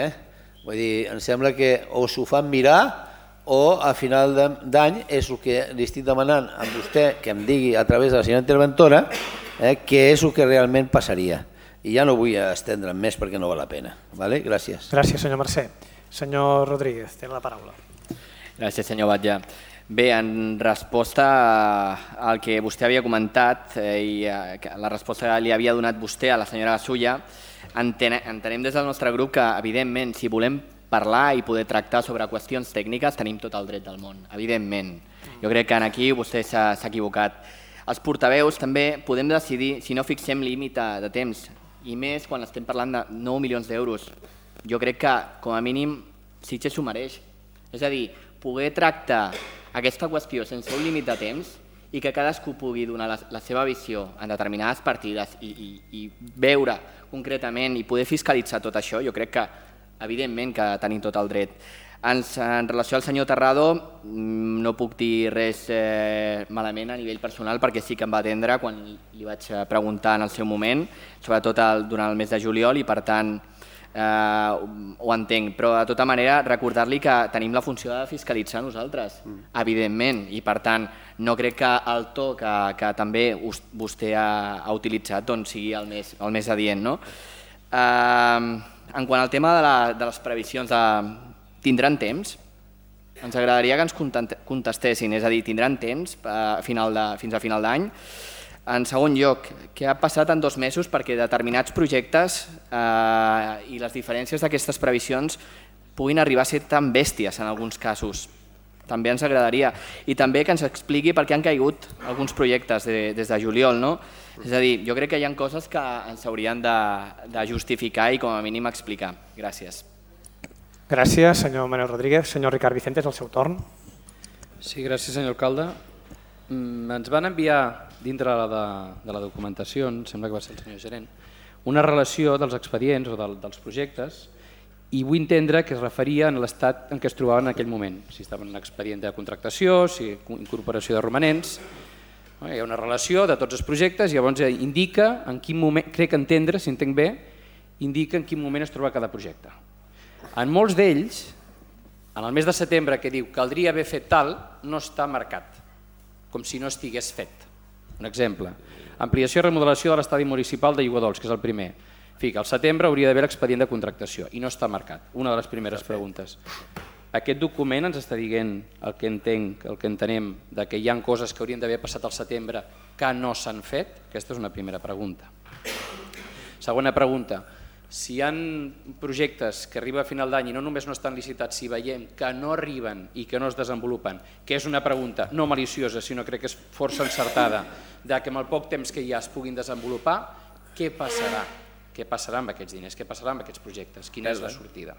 Vull dir, em sembla que o s'ho fan mirar o a final d'any és el que li estic demanant a vostè que em digui a través de la senyora interventora què és el que realment passaria. I ja no vull estendre'm més perquè no val la pena. Gràcies.
Gràcies, senyor Mercè. Senyor Rodríguez, té la paraula.
Gràcies, senyor Batlle. Bé, en resposta al que vostè havia comentat i la resposta que li havia donat vostè a la senyora Gasulla, entenem des del nostre grup que, evidentment, si volem parlar i poder tractar sobre qüestions tècniques, tenim tot el dret del món, evidentment. Jo crec que aquí vostè s'ha equivocat. Els portaveus també podem decidir si no fixem límit de temps, i més quan estem parlant de 9 milions d'euros. Jo crec que, com a mínim, Sitges s'ho mereix. És a dir, poder tractar aquesta qüestió sense un límit de temps i que cadascú pugui donar la seva visió en determinades partides i veure concretament i poder fiscalitzar tot això, jo crec que evidentment que tenim tot el dret. En relació al senyor Terrado, no puc dir res malament a nivell personal perquè sí que em va atendre quan li vaig preguntar en el seu moment, sobretot durant el mes de juliol, i per tant ho entenc, però de tota manera recordar-li que tenim la funció de fiscalitzar nosaltres, evidentment, i per tant no crec que el to que també vostè ha utilitzat sigui el més adient. En quant al tema de les previsions, tindran temps? Ens agradaria que ens contestessin, és a dir, tindran temps fins a final d'any? En segon lloc, què ha passat en 2 mesos perquè determinats projectes i les diferències d'aquestes previsions puguin arribar a ser tan bèsties en alguns casos? També ens agradaria. I també que ens expliqui per què han caigut alguns projectes des de juliol. És a dir, jo crec que hi ha coses que ens haurien de justificar i com a mínim explicar. Gràcies.
Gràcies, senyor Manuel Rodríguez. Senyor Ricard Vicente, és el seu torn.
Sí, gràcies, senyor alcalde. Ens van enviar, dintre de la documentació, em sembla que va ser el senyor gerent, una relació dels expedients o dels projectes i vull entendre que es referia a l'estat en què es trobaven en aquell moment, si estaven en expedient de contractació, si incorporació de romanents. Hi ha una relació de tots els projectes i llavors indica en quin moment, crec entendre, si entenc bé, indica en quin moment es troba cada projecte. En molts d'ells, en el mes de setembre que diu caldria haver fet tal, no està marcat, com si no estigués fet. Un exemple, ampliació i remodelació de l'estadi municipal de Aiguadols, que és el primer. Fica, al setembre hauria d'haver l'expedient de contractació i no està marcat. Una de les primeres preguntes. Aquest document ens està dient el que entenc, el que entenem, que hi ha coses que haurien d'haver passat al setembre que no s'han fet? Aquesta és una primera pregunta. Segona pregunta. Si hi ha projectes que arriben a final d'any i no només no estan licitats, si veiem que no arriben i que no es desenvolupen, que és una pregunta no maliciosa, sinó crec que és força encertada, que amb el poc temps que hi ha es puguin desenvolupar, què passarà? Què passarà amb aquests diners? Què passarà amb aquests projectes? Quina és la sortida?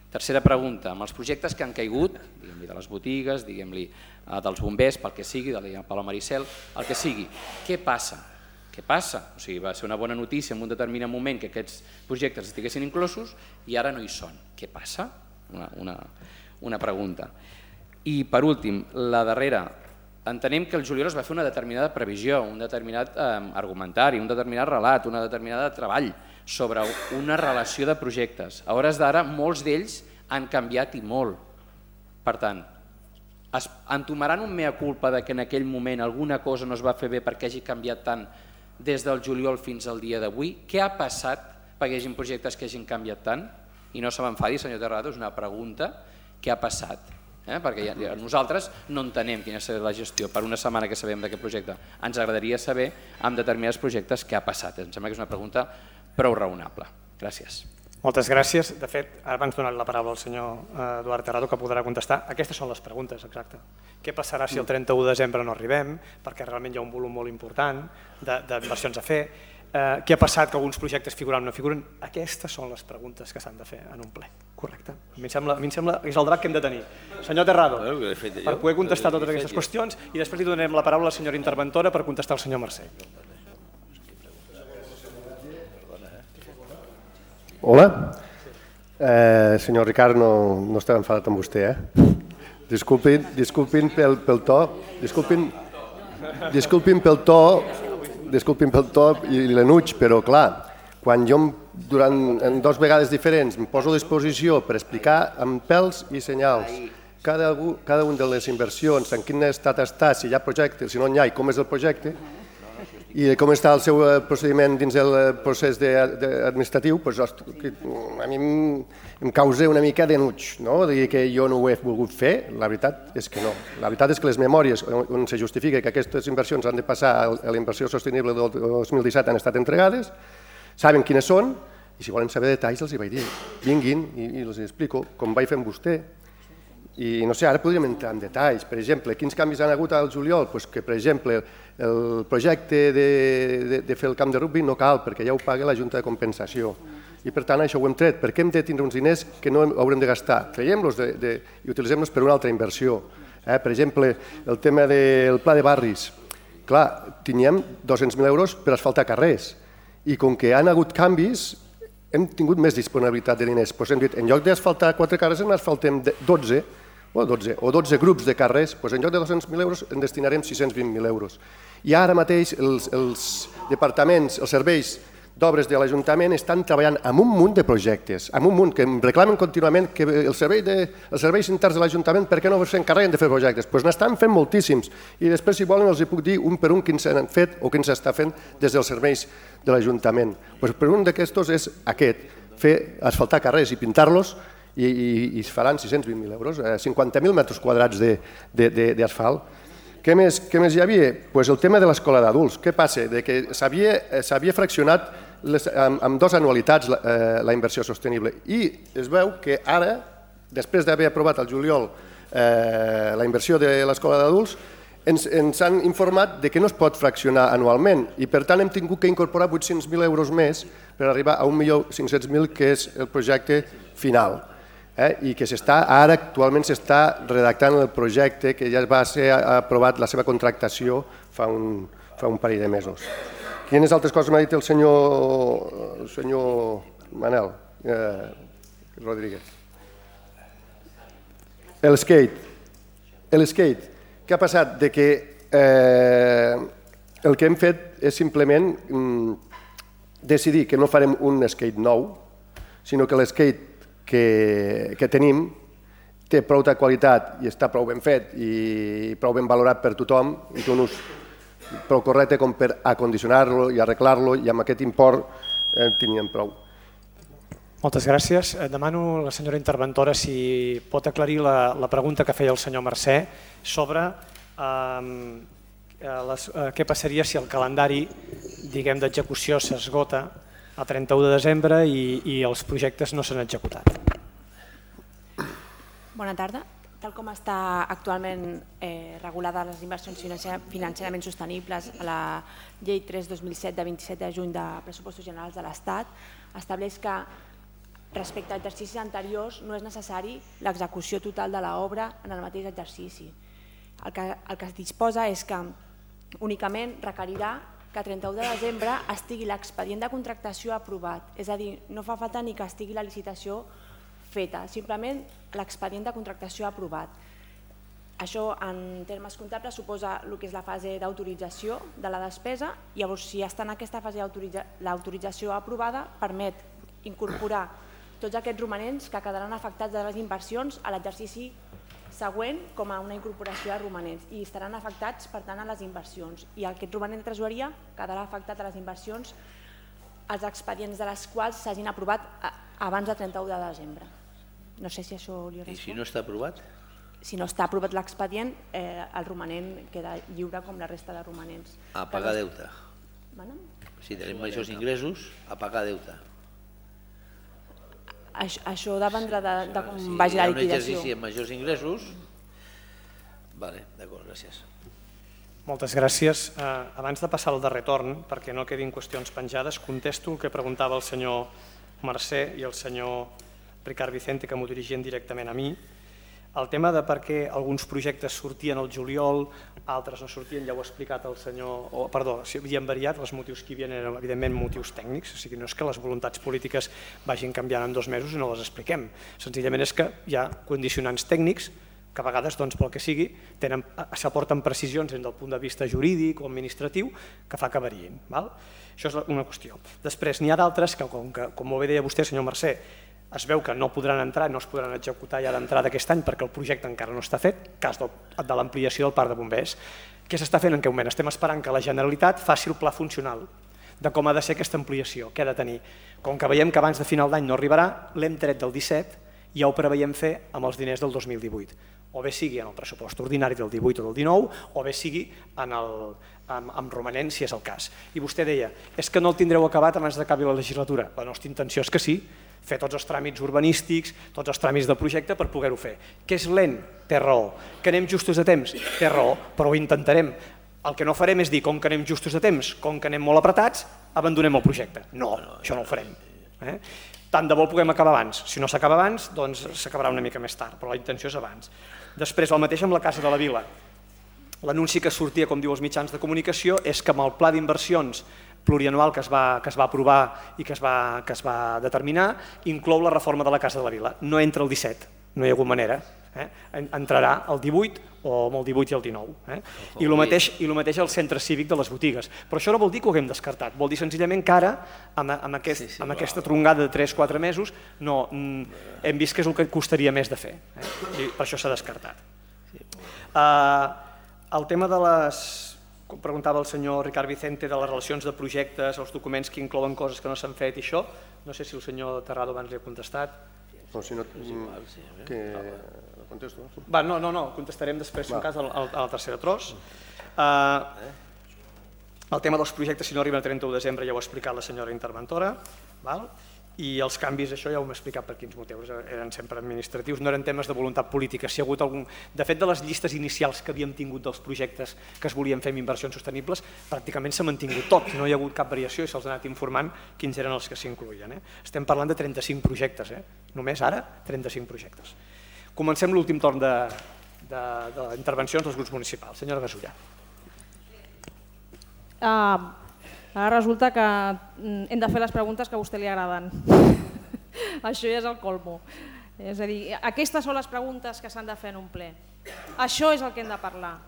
Tercera pregunta, amb els projectes que han caigut, diguem-li de les botigues, diguem-li dels bombers, pel que sigui, de la Palau Maricel, el que sigui, què passa? Què passa? O sigui, va ser una bona notícia en un determinat moment que aquests projectes estiguessin inclosos i ara no hi són. Què passa? Una pregunta. I per últim, la darrera. Entenem que el juliol es va fer una determinada previsió, un determinat argumentari, un determinat relat, una determinada treball sobre una relació de projectes. A hores d'ara, molts d'ells han canviat i molt. Per tant, entomaran un mea culpa que en aquell moment alguna cosa no es va fer bé perquè hagi canviat tant des del juliol fins al dia d'avui? Què ha passat perquè hi hagi projectes que hagin canviat tant? I no se m'enfadi, senyor Terrado, és una pregunta. Què ha passat? Perquè nosaltres no entenem quina serà la gestió. Per una setmana que sabem d'aquest projecte ens agradaria saber amb determinats projectes què ha passat. Em sembla que és una pregunta prou raonable. Gràcies.
Moltes gràcies. De fet, ara abans donat la paraula al senyor Eduard Terrado, que podrà contestar. Aquestes són les preguntes, exacte. Què passarà si el 31 de desembre no arribem, perquè realment hi ha un volum molt important d'inversions a fer? Què ha passat que alguns projectes figuren o no figuren? Aquestes són les preguntes que s'han de fer en un ple, correcte? A mi em sembla que és el debat que hem de tenir. Senyor Terrado, per poder contestar totes aquestes qüestions, i després li donarem la paraula a la senyora interventora per contestar al senyor Mercè.
Hola. Senyor Ricard, no estava enfadat amb vostè, Disculpin pel to. Disculpin pel to i l'enuig, però clar, quan jo en 2 vegades diferents em poso a disposició per explicar amb pèls i senyals cada una de les inversions, en quin estat està, si hi ha projecte, si no n'hi ha, i com és el projecte, i com està el seu procediment dins el procés administratiu, a mi em causa una mica d'enuig, dir que jo no ho he volgut fer. La veritat és que no. La veritat és que les memòries on se justifica que aquestes inversions han de passar a la inversió sostenible del 2017 han estat entregades, saben quines són, i si volen saber detalls els hi vaig dir, vinguin i els explico, com vaig fer amb vostè. I no sé, ara podríem entrar en detalls. Per exemple, quins canvis han hagut al juliol? Que, per exemple, el projecte de fer el camp de rugby no cal, perquè ja ho paga la Junta de Compensació. I per tant això ho hem tret. Per què hem de tindre uns diners que no haurem de gastar? Traiem-los i utilitzem-los per una altra inversió. Per exemple, el tema del pla de barris. Clar, teníem 200.000 euros per asfaltar carrers. I com que han hagut canvis, hem tingut més disponibilitat de diners. Hem dit, en lloc d'asfaltar 4 carrers, en asfaltem 12 o 12 grups de carrers, en lloc de 200.000 euros en destinarem 620.000 euros. I ara mateix els departaments, els serveis d'Obres de l'Ajuntament estan treballant amb un munt de projectes, amb un munt que em reclamen contínuament que els serveis interns de l'Ajuntament per què no s'encarreguen de fer projectes? Doncs n'estan fent moltíssims i després si volen els puc dir un per un quins s'han fet o quins s'està fent des dels serveis de l'Ajuntament. Per un d'aquests és aquest, fer asfaltar carrers i pintar-los i es faran 620.000 euros, 50.000 metres quadrats d'asfalt. Què més hi havia? El tema de l'escola d'adults. Què passa? Que s'havia fraccionat amb 2 anualitats la inversió sostenible i es veu que ara, després d'haver aprovat al juliol la inversió de l'escola d'adults, ens han informat que no es pot fraccionar anualment i per tant hem tingut que incorporar 800.000 euros més per arribar a 1.500.000, que és el projecte final. I que ara actualment s'està redactant el projecte que ja va ser aprovat la seva contractació fa un parell de mesos. Quines altres coses m'ha dit el senyor Manel Rodríguez? El skate. Què ha passat? El que hem fet és simplement decidir que no farem un skate nou, sinó que l'skate que tenim té prou de qualitat i està prou ben fet i prou ben valorat per tothom i té un ús prou correcte com per acondicionar-lo i arreglar-lo i amb aquest import teníem prou.
Moltes gràcies. Demano a la senyora interventora si pot aclarir la pregunta que feia el senyor Mercè sobre què passaria si el calendari d'execució s'esgota a 31 de desembre i els projectes no s'han executat.
Bona tarda. Tal com està actualment regulada les inversions financerament sostenibles a la Llei 3/2007 de 27 de juny de Pressupostos Generals de l'Estat, estableix que respecte a exercicis anteriors no és necessari l'execució total de l'obra en el mateix exercici. El que es disposa és que únicament requerirà que a 31 de desembre estigui l'expedient de contractació aprovat, és a dir, no fa falta ni que estigui la licitació feta, simplement l'expedient de contractació aprovat. Això en termes comptables suposa el que és la fase d'autorització de la despesa i llavors si està en aquesta fase l'autorització aprovada permet incorporar tots aquests romanents que quedaran afectats de les inversions a l'exercici següent com a una incorporació de romanents i estaran afectats per tant a les inversions i aquest romanent de tresoreria quedarà afectat a les inversions els expedients de les quals s'hagin aprovat abans del 31 de desembre. No sé si això li respon.
I si no està aprovat?
Si no està aprovat l'expedient, el romanent queda lliure com la resta de romanents.
A pagar deute. Si tenim majors ingressos, a pagar deute.
Això dependrà de com vagi la liquidació.
Si hi ha un exercici amb majors ingressos... D'acord, gràcies.
Moltes gràcies. Abans de passar al darrer torn, perquè no quedin qüestions penjades, contesto el que preguntava el senyor Mercè i el senyor Ricard Vicente, que m'ho dirigien directament a mi. El tema de per què alguns projectes sortien al juliol, altres no sortien, ja ho ha explicat el senyor... Perdó, havien variat, els motius que hi havia eren evidentment motius tècnics, o sigui, no és que les voluntats polítiques vagin canviant en 2 mesos i no les expliquem. Senzillament és que hi ha condicionants tècnics que a vegades, pel que sigui, s'aporten precisions des del punt de vista jurídic o administratiu que fa que variïn. Això és una qüestió. Després, n'hi ha d'altres que, com molt bé deia vostè, senyor Mercè, es veu que no podran entrar, no es podran executar ja d'entrada aquest any perquè el projecte encara no està fet, cas de l'ampliació del parc de bombers. Què s'està fent en aquest moment? Estem esperant que la Generalitat faci el pla funcional de com ha de ser aquesta ampliació, què ha de tenir. Com que veiem que abans de final d'any no arribarà, l'hem tret del 17 i ja ho preveiem fer amb els diners del 2018. O bé sigui en el pressupost ordinari del 18 o del 19, o bé sigui amb romanent, si és el cas. I vostè deia, és que no el tindreu acabat abans d'acabi la legislatura. La nostra intenció és que sí, fer tots els tràmits urbanístics, tots els tràmits del projecte per poder-ho fer. Que és lent? Té raó. Que anem justos a temps? Té raó, però ho intentarem. El que no farem és dir, com que anem justos a temps, com que anem molt apretats, abandonem el projecte. No, això no ho farem. Tant de bo el puguem acabar abans. Si no s'acaba abans, doncs s'acabarà una mica més tard, però la intenció és abans. Després, el mateix amb la Casa de la Vila. L'anunci que sortia, com diu els mitjans de comunicació, és que amb el pla d'inversions plurianual que es va aprovar i que es va determinar, inclou la reforma de la Casa de la Vila. No entra el 17, no hi ha hagut manera. Entrarà el 18 o amb el 18 i el 19. I el mateix al centre cívic de les botigues. Però això no vol dir que ho haguem descartat, vol dir senzillament que ara, amb aquesta trongada de 3-4 mesos, hem vist que és el que costaria més de fer, i per això s'ha descartat. El tema de les, com preguntava el senyor Ricard Vicente, de les relacions de projectes, els documents que inclouen coses que no s'han fet i això, no sé si el senyor Terrado abans li ha contestat.
No, si no, que contesto.
No, contestarem després, en cas, a la tercera tros. El tema dels projectes, si no arriben a 31 de desembre, ja ho ha explicat la senyora interventora, i els canvis, això ja ho hem explicat per quins motius, eren sempre administratius, no eren temes de voluntat política. Si hi ha hagut algun... De fet, de les llistes inicials que havíem tingut dels projectes que es volien fer amb inversions sostenibles, pràcticament s'ha mantingut tot, no hi ha hagut cap variació i se'ls ha anat informant quins eren els que s'incloïen. Estem parlant de 35 projectes, només ara 35 projectes. Comencem l'últim torn d'intervencions dels grups municipals. Senyora Gasulla.
Ara resulta que hem de fer les preguntes que a vostè li agraden. Això ja és el colmo. És a dir, aquestes són les preguntes que s'han de fer en un ple. Això és el que hem de parlar.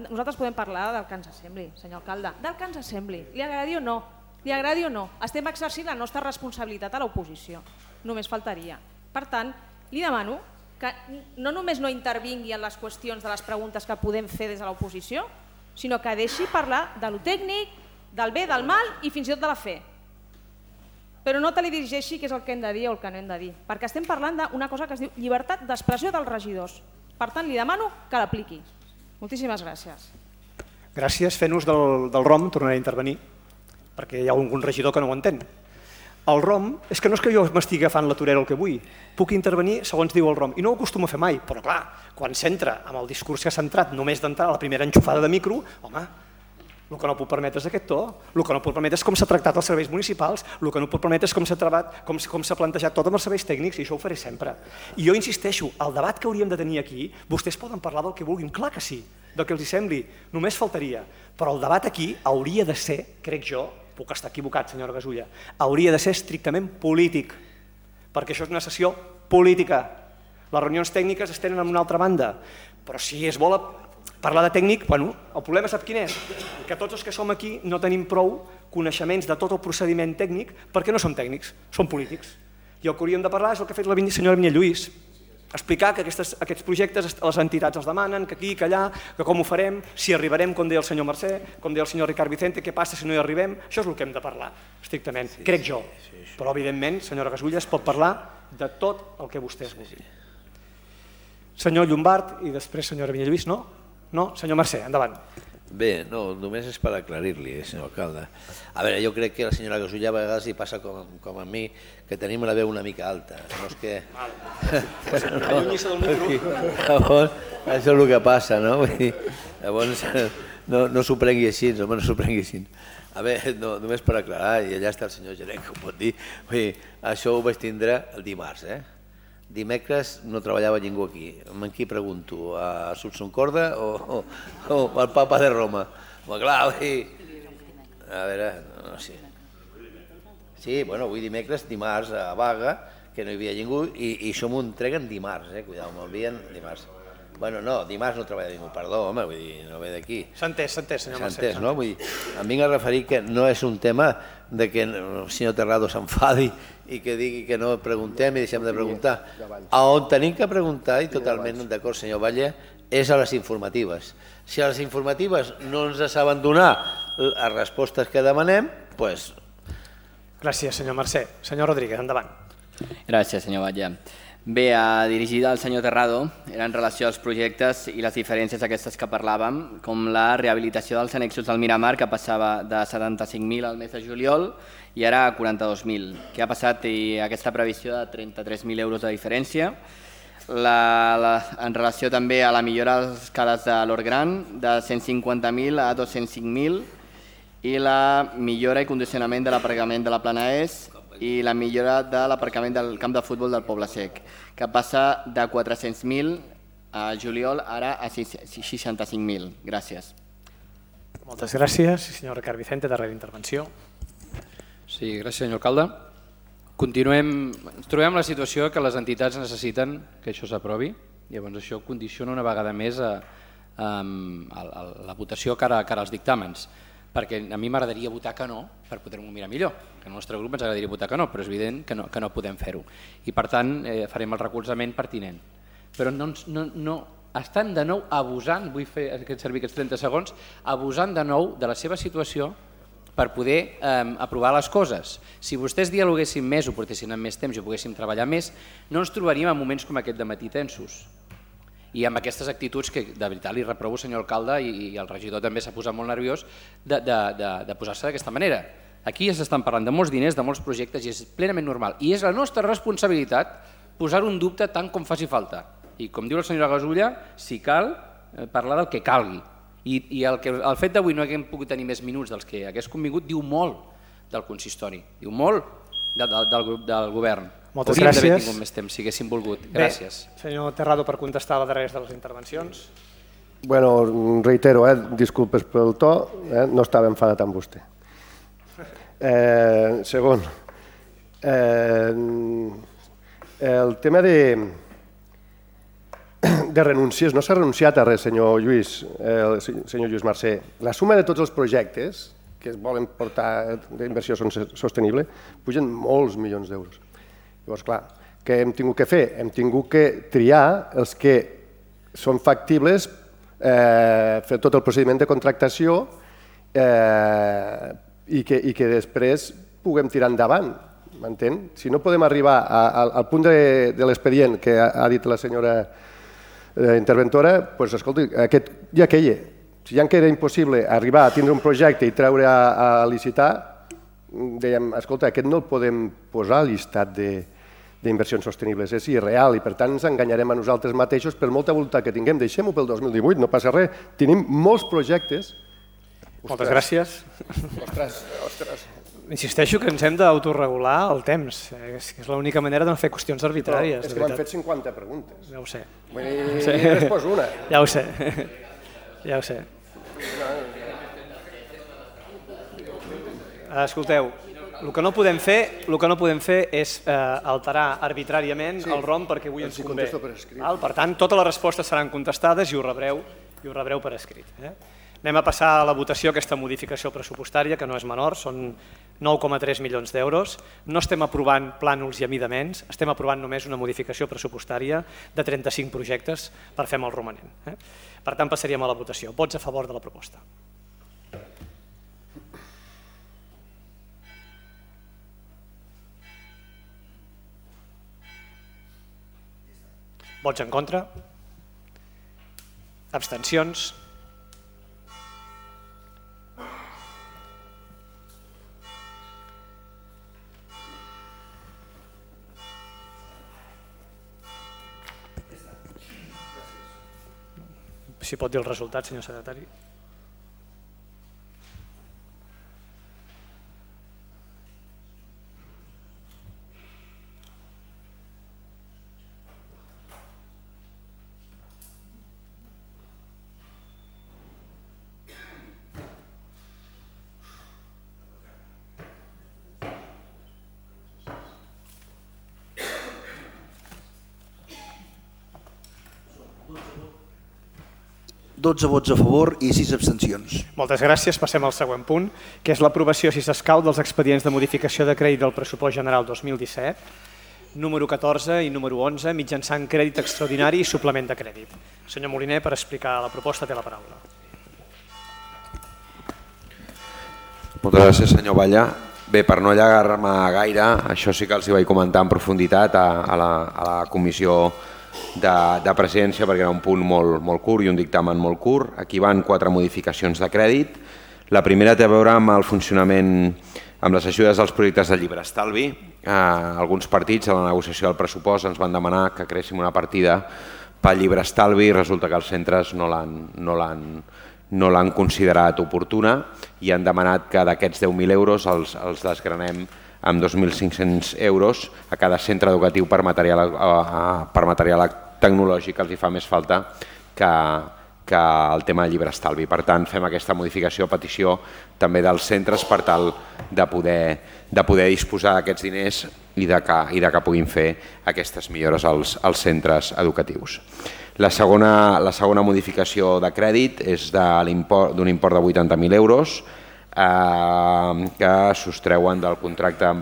Nosaltres podem parlar del que ens sembli, senyor alcalde, del que ens sembli, li agradi o no. Li agradi o no. Estem exercint la nostra responsabilitat a l'oposició. Només faltaria. Per tant, li demano que no només no intervingui en les qüestions de les preguntes que podem fer des de l'oposició, sinó que deixi parlar de lo tècnic, del bé, del mal i fins i tot de la fe. Però no te li dirigeixi què és el que hem de dir o el que no hem de dir, perquè estem parlant d'una cosa que es diu llibertat d'expressió dels regidors. Per tant, li demano que l'apliqui. Moltíssimes gràcies.
Gràcies. Fent ús del ROM, tornaré a intervenir, perquè hi ha algun regidor que no ho entén. El ROM, és que no és que jo m'estigui agafant la torera el que vull, puc intervenir segons diu el ROM, i no ho acostumo a fer mai, però clar, quan s'entra amb el discurs que s'ha entrat només d'entrar a la primera enxufada de micro, home, el que no puc permetre és aquest to, el que no puc permetre és com s'ha tractat els serveis municipals, el que no puc permetre és com s'ha plantejat tot amb els serveis tècnics, i això ho faré sempre. I jo insisteixo, el debat que hauríem de tenir aquí, vostès poden parlar del que vulguin, clar que sí, del que els sembli, només faltaria, però el debat aquí hauria de ser, crec jo, puc estar equivocat, senyora Gasulla, hauria de ser estrictament polític, perquè això és una sessió política. Les reunions tècniques es tenen en una altra banda, però si es vol parlar de tècnic, el problema sap quin és? Que tots els que som aquí no tenim prou coneixements de tot el procediment tècnic perquè no som tècnics, som polítics. I el que hauríem de parlar és el que ha fet la senyora Vinyet Lluís, explicar que aquests projectes les entitats els demanen, que aquí, que allà, que com ho farem, si arribarem, com deia el senyor Mercè, com deia el senyor Ricard Vicente, què passa si no hi arribem, això és el que hem de parlar, estrictament, crec jo. Però, evidentment, senyora Gasulla, es pot parlar de tot el que vostès vulguin. Senyor Llombart i després senyora Vinyet Lluís, no? No? Senyor Mercè, endavant.
Bé, no, només és per aclarir-li, senyor alcalde. A veure, jo crec que la senyora Gasulla a vegades li passa com a mi, que tenim la veu una mica alta. No és que...
Allunyi-se del micro.
Llavors, això és el que passa, no? Llavors, no s'ho prengui així, no s'ho prengui així. A veure, només per aclarar, i allà està el senyor gerent que ho pot dir, això ho vaig tindre el dimarts, Dimecres no treballava ningú aquí. Amb qui pregunto? A Susan Corda o al papa de Roma? Home, clar, a veure, no sé. Sí, bueno, avui dimecres, dimarts a vaga, que no hi havia ningú, i això m'ho entreguen dimarts, cuidao, m'envien dimarts. Bueno, no, dimarts no treballa ningú, perdó, home, vull dir, no ve d'aquí.
S'ha entès, senyor Mercè.
S'ha entès, no? Vull dir, em vinc a referir que no és un tema de que el senyor Terrado s'enfadi i que digui que no preguntem i deixem de preguntar. A on tenim que preguntar, i totalment d'acord, senyor Valle, és a les informatives. Si a les informatives no ens saben donar les respostes que demanem, doncs...
Gràcies, senyor Mercè. Senyor Rodríguez, endavant.
Gràcies, senyor Valle. Bé, dirigida al senyor Terrado, era en relació als projectes i les diferències aquestes que parlàvem, com la rehabilitació dels annexos del Miramar, que passava de 75.000 al mes de juliol i ara a 42.000. Què ha passat i aquesta previsió de 33.000 euros de diferència? En relació també a la millora de les escales de l'Hort Gran, de 150.000 a 205.000, i la millora i condicionament de l'aparcament de la Plana Est, i la millora de l'aparcament del camp de futbol del Poble Sec, que passa de 400.000 a juliol ara a 65.000. Gràcies.
Moltes gràcies. Senyor Ricard Vicente, darrera intervenció.
Sí, gràcies, senyor alcalde. Ens trobem en la situació que les entitats necessiten que això s'aprovi. Llavors això condiciona una vegada més la votació cara als dictàmens, perquè a mi m'agradaria votar que no per poder-m'ho mirar millor, que al nostre grup ens agradaria votar que no, però és evident que no podem fer-ho. I per tant farem el recolzament pertinent. Però no estan de nou abusant, vull fer servir aquests 30 segons, abusant de nou de la seva situació per poder aprovar les coses. Si vostès dialoguessin més, ho portessin amb més temps i ho poguéssim treballar més, no ens trobaríem en moments com aquest de matí tensos. I amb aquestes actituds que de veritat li reprovo, senyor alcalde, i el regidor també s'ha posat molt nerviós, de posar-se d'aquesta manera. Aquí ja s'estan parlant de molts diners, de molts projectes, i és plenament normal. I és la nostra responsabilitat posar un dubte tant com faci falta. I com diu la senyora Gasulla, si cal, parlar del que calgui. I el fet d'avui no haguem pogut tenir més minuts dels que hagués convingut diu molt del consistori, diu molt del grup del govern.
Moltes
gràcies. Hauríem d'haver tingut més temps, si haguéssim volgut. Gràcies.
Bé, senyor Terrado, per contestar a la darrera de les intervencions.
Bueno, reitero, disculpes pel to, no estava enfadat amb vostè. Segon, el tema de renúncies, no s'ha renunciat a res, senyor Lluís Mercè. La suma de tots els projectes que es volen portar d'inversió sostenible pugen molts milions d'euros. Llavors, clar, què hem tingut que fer? Hem tingut que triar els que són factibles, fer tot el procediment de contractació i que després puguem tirar endavant, m'entén? Si no podem arribar al punt de l'expedient que ha dit la senyora interventora, doncs escolti, aquest ja queia. Si ja era impossible arribar a tindre un projecte i treure a licitar, dèiem, escolta, aquest no el podem posar al llistat d'inversions sostenibles, és irreal i per tant ens enganyarem a nosaltres mateixos per molta voluntat que tinguem. Deixem-ho pel 2018, no passa res. Tenim molts projectes.
Moltes gràcies.
Ostres.
Insisteixo que ens hem d'autoregular el temps. És l'única manera de no fer qüestions arbitràries.
És que m'han fet 50 preguntes.
Ja ho sé.
He respost una.
Ja ho sé. Ja ho sé. Escolteu, el que no podem fer és alterar arbitràriament el ROM perquè avui ens convé. Per tant, totes les respostes seran contestades i ho rebreu per escrit. Anem a passar a la votació aquesta modificació pressupostària, que no és menor, són 9,3 milions d'euros. No estem aprovant plànols i amidaments, estem aprovant només una modificació pressupostària de 35 projectes per fer el romanent. Per tant, passaríem a la votació. Vots a favor de la proposta. Vots en contra? Abstencions? Si pot dir el resultat, senyor secretari.
Dotze vots a favor i 6 abstencions.
Moltes gràcies. Passem al següent punt, que és l'aprovació, si s'escau, dels expedients de modificació de crèdit del pressupost general 2017, número 14 i número 11, mitjançant crèdit extraordinari i suplement de crèdit. Senyor Moliner, per explicar la proposta, té la paraula.
Moltes gràcies, senyor Batlle. Bé, per no allargar-me gaire, això sí que els hi vaig comentar en profunditat a la comissió de presidència, perquè era un punt molt curt i un dictamen molt curt. Aquí van 4 modificacions de crèdit. La primera té a veure amb el funcionament, amb les ajudes als projectes de llibre estalvi. Alguns partits a la negociació del pressupost ens van demanar que creéssim una partida pel llibre estalvi i resulta que els centres no l'han considerat oportuna i han demanat que d'aquests 10.000 euros els desgranem amb 2.500 euros a cada centre educatiu per material tecnològic que els hi fa més falta que el tema de llibre estalvi. Per tant, fem aquesta modificació a petició també dels centres per tal de poder disposar d'aquests diners i de que puguin fer aquestes millores als centres educatius. La segona modificació de crèdit és d'un import de 80.000 euros que sostreuen del contracte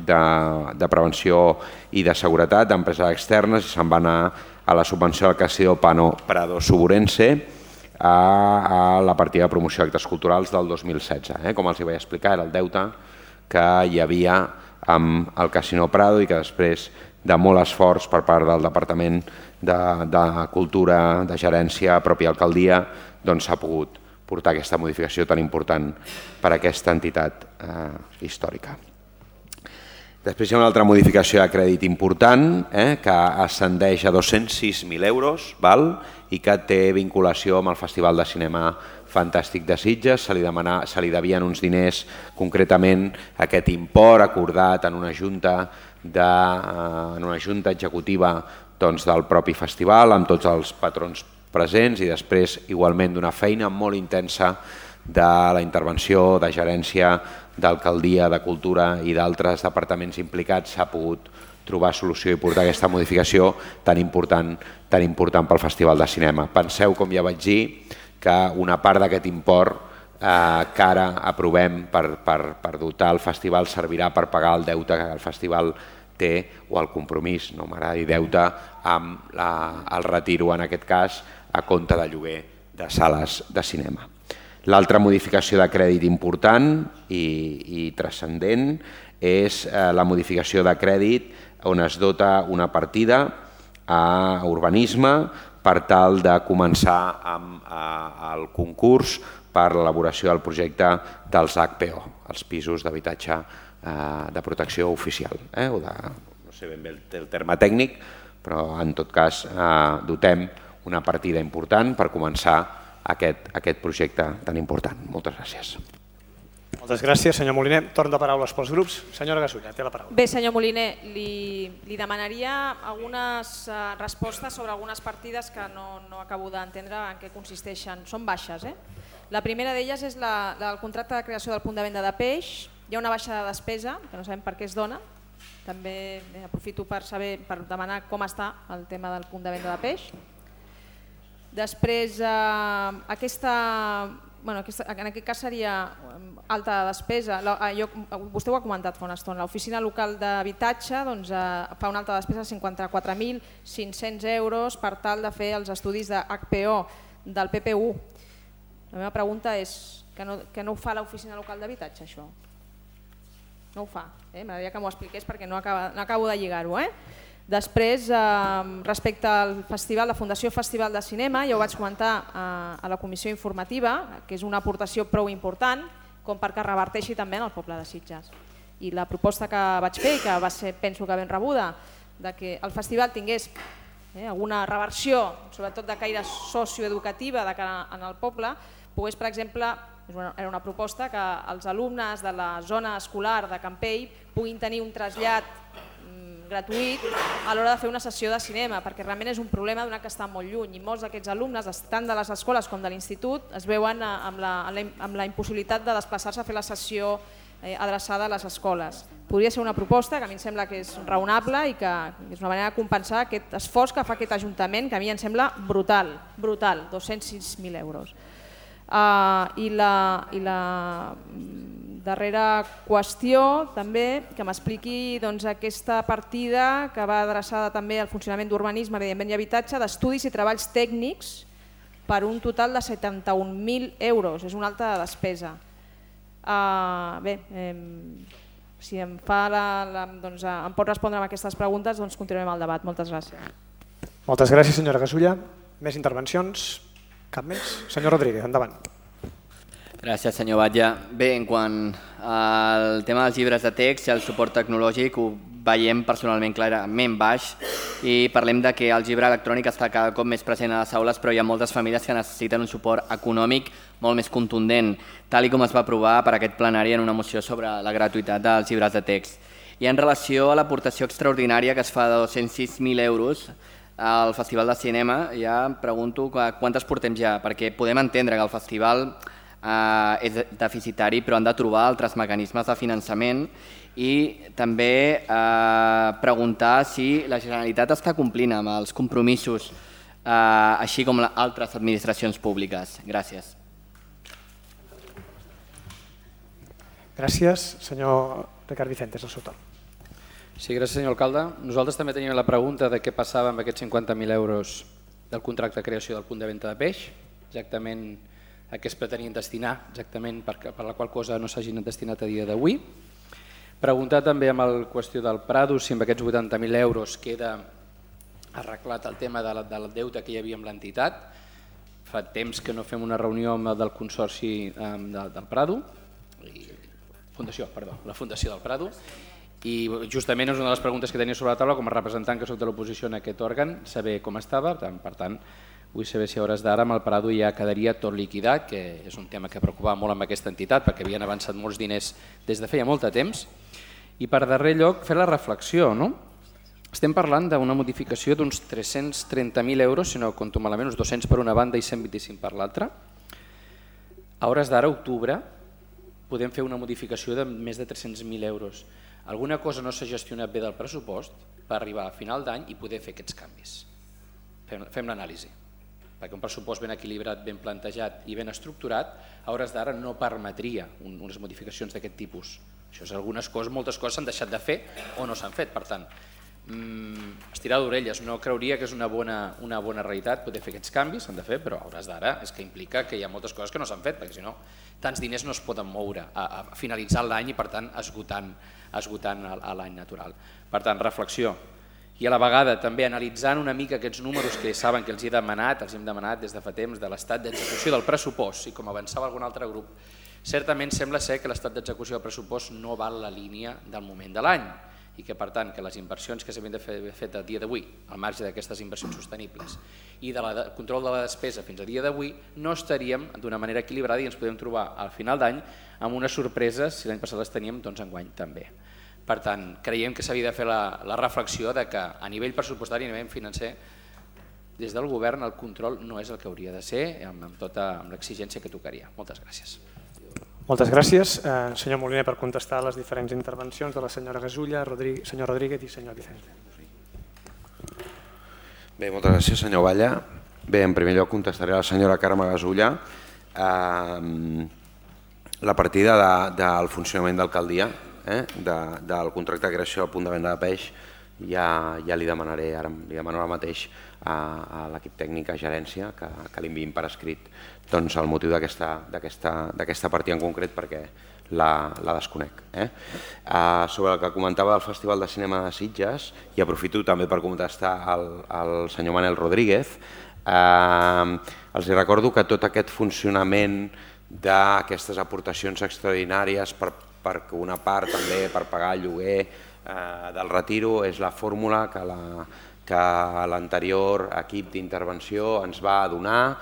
de prevenció i de seguretat d'empreses externes i se'n va anar a la subvenció del Casino Prado Suburense a la partida de promoció d'actes culturals del 2016. Com els vaig explicar, era el deute que hi havia amb el Casino Prado i que després de molt esforç per part del Departament de Cultura, de Gerència, pròpia alcaldia, s'ha pogut portar aquesta modificació tan important per a aquesta entitat històrica. Després hi ha una altra modificació de crèdit important que ascendeix a 206.000 euros i que té vinculació amb el Festival de Cinema Fantàstic de Sitges. Se li devien uns diners, concretament aquest import acordat en una junta executiva del propi festival amb tots els patrons presents i després igualment d'una feina molt intensa de la intervenció de gerència, d'alcaldia, de cultura i d'altres departaments implicats s'ha pogut trobar solució i portar aquesta modificació tan important pel Festival de Cinema. Penseu, com ja vaig dir, que una part d'aquest import que ara aprovem per dotar el festival servirà per pagar el deute que el festival té o el compromís, no m'agrada dir deute, amb el retiro, en aquest cas, a compte de lloguer de sales de cinema. L'altra modificació de crèdit important i transcendent és la modificació de crèdit on es dota una partida a urbanisme per tal de començar amb el concurs per l'elaboració del projecte dels HPO, els pisos d'habitatge de protecció oficial. No sé ben bé el terme tècnic, però en tot cas dotem una partida important per començar aquest projecte tan important. Moltes gràcies.
Moltes gràcies, senyor Moliner. Torn de paraules pels grups. Senyora Gasulla, té la paraula.
Bé, senyor Moliner, li demanaria algunes respostes sobre algunes partides que no acabo d'entendre en què consisteixen. Són baixes. La primera d'elles és la del contracte de creació del punt de venda de peix. Hi ha una baixa de despesa, que no sabem per què es dona. També aprofito per demanar com està el tema del punt de venda de peix. Després, en aquest cas seria alta despesa. Vostè ho ha comentat fa una estona. L'oficina local d'habitatge fa una alta despesa de 54.500 euros per tal de fer els estudis de HPO del PPU. La meva pregunta és que no ho fa l'oficina local d'habitatge, això? No ho fa. M'agradaria que m'ho expliqués perquè no acabo de lligar-ho. Després, respecte al festival, la Fundació Festival de Cinema, ja ho vaig comentar a la comissió informativa, que és una aportació prou important com perquè reverteixi també en el poble de Sitges. I la proposta que vaig fer i que va ser, penso que ben rebuda, que el festival tingués alguna reversió, sobretot de caire socioeducativa en el poble, pogués, per exemple, era una proposta que els alumnes de la zona escolar de Campell puguin tenir un trasllat gratuït a l'hora de fer una sessió de cinema, perquè realment és un problema donat que està molt lluny i molts d'aquests alumnes, tant de les escoles com de l'institut, es veuen amb la impossibilitat de desplaçar-se a fer la sessió adreçada a les escoles. Podria ser una proposta que a mi em sembla que és raonable i que és una manera de compensar aquest esforç que fa aquest Ajuntament, que a mi em sembla brutal, 206.000 euros. I la darrera qüestió també, que m'expliqui aquesta partida que va adreçada també al funcionament d'urbanisme, evidentment i habitatge, d'estudis i treballs tècnics per un total de 71.000 euros, és una alta despesa. Bé, si em pot respondre a aquestes preguntes, doncs continuem el debat. Moltes gràcies.
Moltes gràcies, senyora Gasulla. Més intervencions? Cap més? Senyor Rodríguez, endavant.
Gràcies, senyor Batlle. Bé, en quant al tema dels llibres de text i el suport tecnològic, ho veiem personalment clarament baix i parlem de que el llibre electrònic està cada cop més present a les aules, però hi ha moltes famílies que necessiten un suport econòmic molt més contundent, tal com es va aprovar per aquest plenari en una moció sobre la gratuïtat dels llibres de text. I en relació a l'aportació extraordinària que es fa de 206.000 euros al Festival de Cinema, ja em pregunto quantes portem ja, perquè podem entendre que el festival és deficitari, però han de trobar altres mecanismes de finançament i també preguntar si la Generalitat està complint amb els compromisos, així com altres administracions públiques. Gràcies.
Gràcies. Senyor Ricard Vicentes, el seu torn.
Sí, gràcies, senyor alcalde. Nosaltres també teníem la pregunta de què passava amb aquests 50.000 euros del contracte de creació del punt de venda de peix, exactament a què es pretenien destinar, exactament per la qual cosa no s'hagin destinat a dia d'avui. Preguntar també amb la qüestió del Prado si amb aquests 80.000 euros queda arreglat el tema del deute que hi havia amb l'entitat. Fa temps que no fem una reunió amb del Consorci del Prado, la Fundació del Prado, i justament és una de les preguntes que tenia sobre la taula com a representant que soc de l'oposició en aquest òrgan, saber com estava, per tant vull saber si a hores d'ara amb el Prado ja quedaria tot liquidat, que és un tema que preocupava molt amb aquesta entitat perquè havien avançat molts diners des de feia molt de temps. I per darrer lloc fer la reflexió, no? Estem parlant d'una modificació d'uns 330.000 euros, si no compto malament, uns 200 per una banda i 125 per l'altra. A hores d'ara, octubre, podem fer una modificació de més de 300.000 euros. Alguna cosa no s'ha gestionat bé del pressupost per arribar a final d'any i poder fer aquests canvis. Fem l'anàlisi, perquè un pressupost ben equilibrat, ben plantejat i ben estructurat, a hores d'ara no permetria unes modificacions d'aquest tipus. Això és algunes coses, moltes coses s'han deixat de fer o no s'han fet, per tant, estirar d'orelles, no creuria que és una bona realitat poder fer aquests canvis, s'han de fer, però a hores d'ara és que implica que hi ha moltes coses que no s'han fet, perquè si no, tants diners no es poden moure a finalitzar l'any i per tant esgotant l'any natural. Per tant, reflexió. I a la vegada també analitzant una mica aquests números que saben que els hem demanat des de fa temps de l'estat d'execució del pressupost i com avançava algun altre grup, certament sembla ser que l'estat d'execució del pressupost no va en la línia del moment de l'any i que per tant que les inversions que s'havien de fer a dia d'avui, al marge d'aquestes inversions sostenibles i del control de la despesa fins a dia d'avui, no estaríem d'una manera equilibrada i ens podem trobar al final d'any amb unes sorpreses, si l'any passat les teníem, doncs enguany també. Per tant, creiem que s'havia de fer la reflexió de que a nivell pressupostari, a nivell financer, des del govern el control no és el que hauria de ser amb l'exigència que tocaria. Moltes gràcies.
Moltes gràcies. Senyor Moliner, per contestar a les diferents intervencions de la senyora Gasulla, senyor Rodríguez i senyor Vicente.
Bé, moltes gràcies, senyor Valla. Bé, en primer lloc contestaré a la senyora Carme Gasulla. La partida del funcionament d'alcaldia, del contracte de creació al punt de venda de peix, ja li demanaré, ara li demano ara mateix a l'equip tècnic, a gerència, que l'enviïn per escrit el motiu d'aquesta partida en concret perquè la desconec. Sobre el que comentava del Festival de Cinema de Sitges, i aprofito també per contestar al senyor Manel Rodríguez, els recordo que tot aquest funcionament d'aquestes aportacions extraordinàries per una part també per pagar el lloguer del retiro és la fórmula que l'anterior equip d'intervenció ens va donar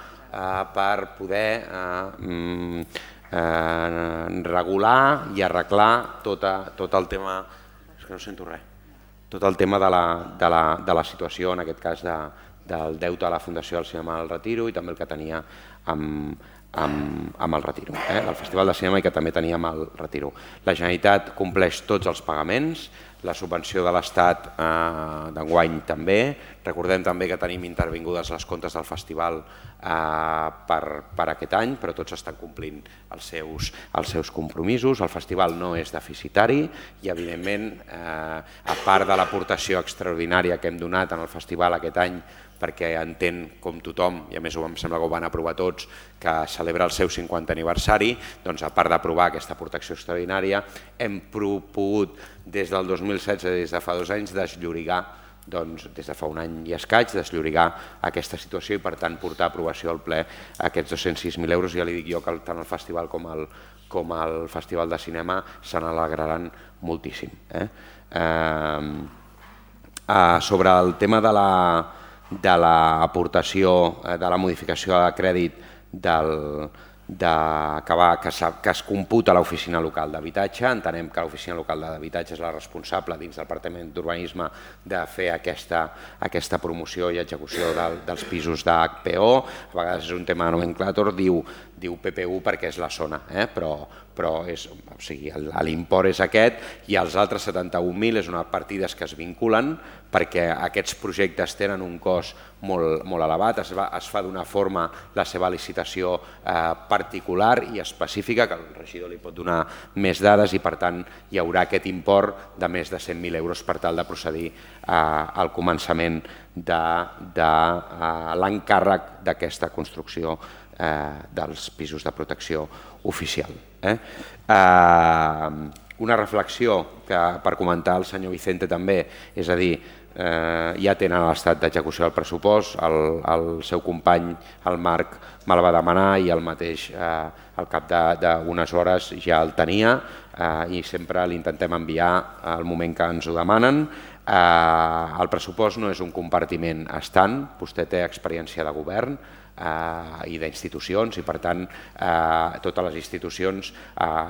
per poder regular i arreglar tot el tema, és que no sento res, tot el tema de la situació, en aquest cas del deute a la Fundació del Cinema del Retiro i també el que tenia amb el Retiro, el Festival de Cinema i que també teníem el Retiro. La Generalitat compleix tots els pagaments, la subvenció de l'Estat d'enguany també. Recordem també que tenim intervingudes les comptes del festival per aquest any, però tots estan complint els seus compromisos. El festival no és deficitari i, evidentment, a part de l'aportació extraordinària que hem donat en el festival aquest any, perquè entén, com tothom, i a més em sembla que ho van aprovar tots, que celebra el seu 50 aniversari, doncs a part d'aprovar aquesta aportació extraordinària, hem pogut des del 2016, des de fa 2 anys, desllorigar, des de fa un any i escaig, desllorigar aquesta situació i per tant portar a aprovació al ple aquests 206.000 euros. Ja li dic jo que tant el festival com el Festival de Cinema se n'alegraran moltíssim. Sobre el tema de l'aportació, de la modificació de crèdit que es computa l'oficina local d'habitatge. Entenem que l'oficina local d'habitatge és la responsable dins del Departament d'Urbanisme de fer aquesta promoció i execució dels pisos d'HPO. A vegades és un tema de nomenclàtor, diu PPU perquè és la zona, però l'import és aquest i els altres 71.000 és una partides que es vinculen perquè aquests projectes tenen un cost molt elevat, es fa d'una forma la seva licitació particular i específica, que el regidor li pot donar més dades i per tant hi haurà aquest import de més de 100.000 euros per tal de procedir al començament de l'encàrrec d'aquesta construcció dels pisos de protecció oficial. Una reflexió que per comentar al senyor Vicente també, és a dir, ja tenen l'estat d'execució del pressupost, el seu company, el Marc, me'l va demanar i el mateix al cap d'unes hores ja el tenia i sempre l'intentem enviar al moment que ens ho demanen. El pressupost no és un compartiment estant, vostè té experiència de govern i d'institucions i per tant totes les institucions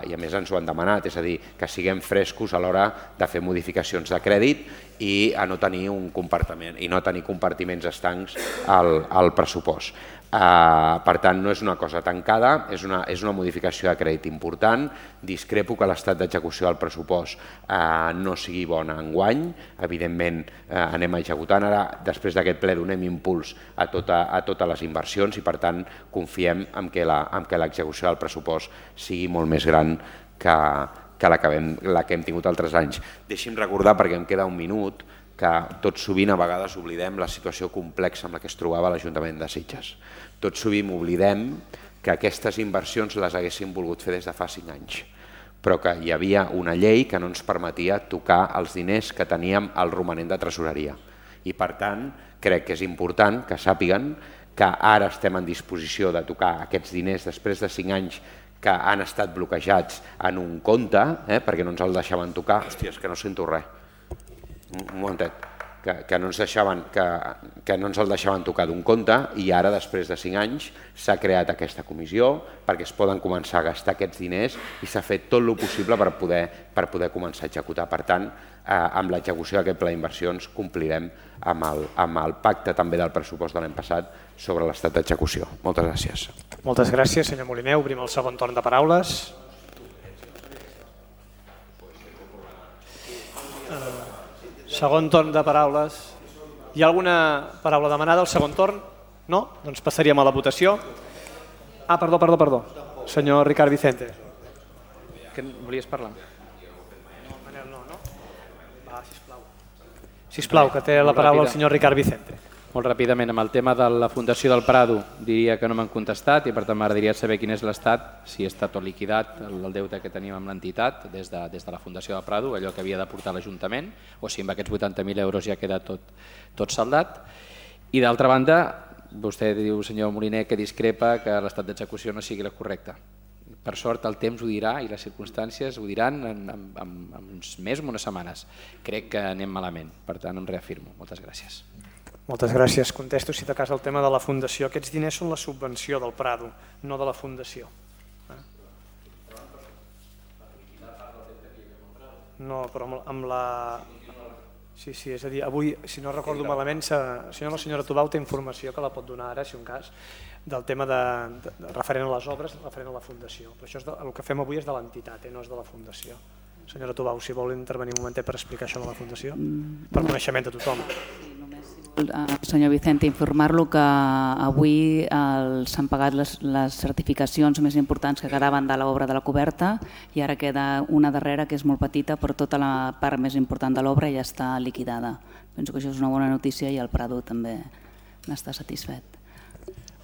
i a més ens ho han demanat, és a dir, que siguem frescos a l'hora de fer modificacions de crèdit i a no tenir un compartiment i no tenir compartiments estancs al pressupost. Per tant, no és una cosa tancada, és una modificació de crèdit important. Discrepo que l'estat d'execució del pressupost no sigui bona enguany. Evidentment, anem executant. Ara, després d'aquest ple, donem impuls a totes les inversions i, per tant, confiem en que l'execució del pressupost sigui molt més gran que la que hem tingut altres anys. Deixi'm recordar, perquè em queda un minut, que tot sovint a vegades oblidem la situació complexa amb la que es trobava l'Ajuntament de Sitges. Tot sovint oblidem que aquestes inversions les haguéssim volgut fer des de fa 5 anys, però que hi havia una llei que no ens permetia tocar els diners que teníem al romanent de tresoreria. I per tant, crec que és important que sàpiguen que ara estem en disposició de tocar aquests diners després de 5 anys que han estat bloquejats en un compte, perquè no ens el deixaven tocar. Hòstia, és que no sento res. Un momentet, que no ens el deixaven tocar d'un compte i ara, després de 5 anys, s'ha creat aquesta comissió perquè es poden començar a gastar aquests diners i s'ha fet tot el possible per poder començar a executar. Per tant, amb l'execució d'aquest pla d'inversions complirem amb el pacte també del pressupost de l'any passat sobre l'estat d'execució. Moltes gràcies.
Moltes gràcies, senyor Moliner. Obrim el segon torn de paraules. Segon torn de paraules. Hi ha alguna paraula demanada al segon torn? No? Doncs passaríem a la votació. Perdó. Senyor Ricard Vicente.
Que volies parlar?
No. Va, sisplau, que té la paraula el senyor Ricard Vicente.
Molt ràpidament, amb el tema de la Fundació del Prado, diria que no m'han contestat i per tant m'agradaria saber quin és l'estat, si està tot liquidat, el deute que tenim amb l'entitat des de la Fundació del Prado, allò que havia d'aportar l'Ajuntament, o si amb aquests 80.000 euros ja queda tot saldat. I d'altra banda, vostè diu, senyor Moliner, que discrepa que l'estat d'execució no sigui la correcta. Per sort el temps ho dirà i les circumstàncies ho diran en uns mesos o unes setmanes. Crec que anem malament, per tant em reafirmo. Moltes gràcies.
Moltes gràcies. Contesto, si de cas, el tema de la Fundació. Aquests diners són la subvenció del Prado, no de la Fundació. No, però amb la... Sí, és a dir, avui, si no recordo malament, la senyora Tubau té informació que la pot donar ara, si un cas, del tema referent a les obres, referent a la Fundació. Però això el que fem avui és de l'entitat, no és de la Fundació. Senyora Tubau, si vol intervenir un momentet per explicar això de la Fundació, per coneixement de tothom.
Senyor Vicente, informar-lo que avui s'han pagat les certificacions més importants que quedaven de l'obra de la coberta i ara queda una darrera que és molt petita, però tota la part més important de l'obra ja està liquidada. Penso que això és una bona notícia i el Prado també n'està satisfet.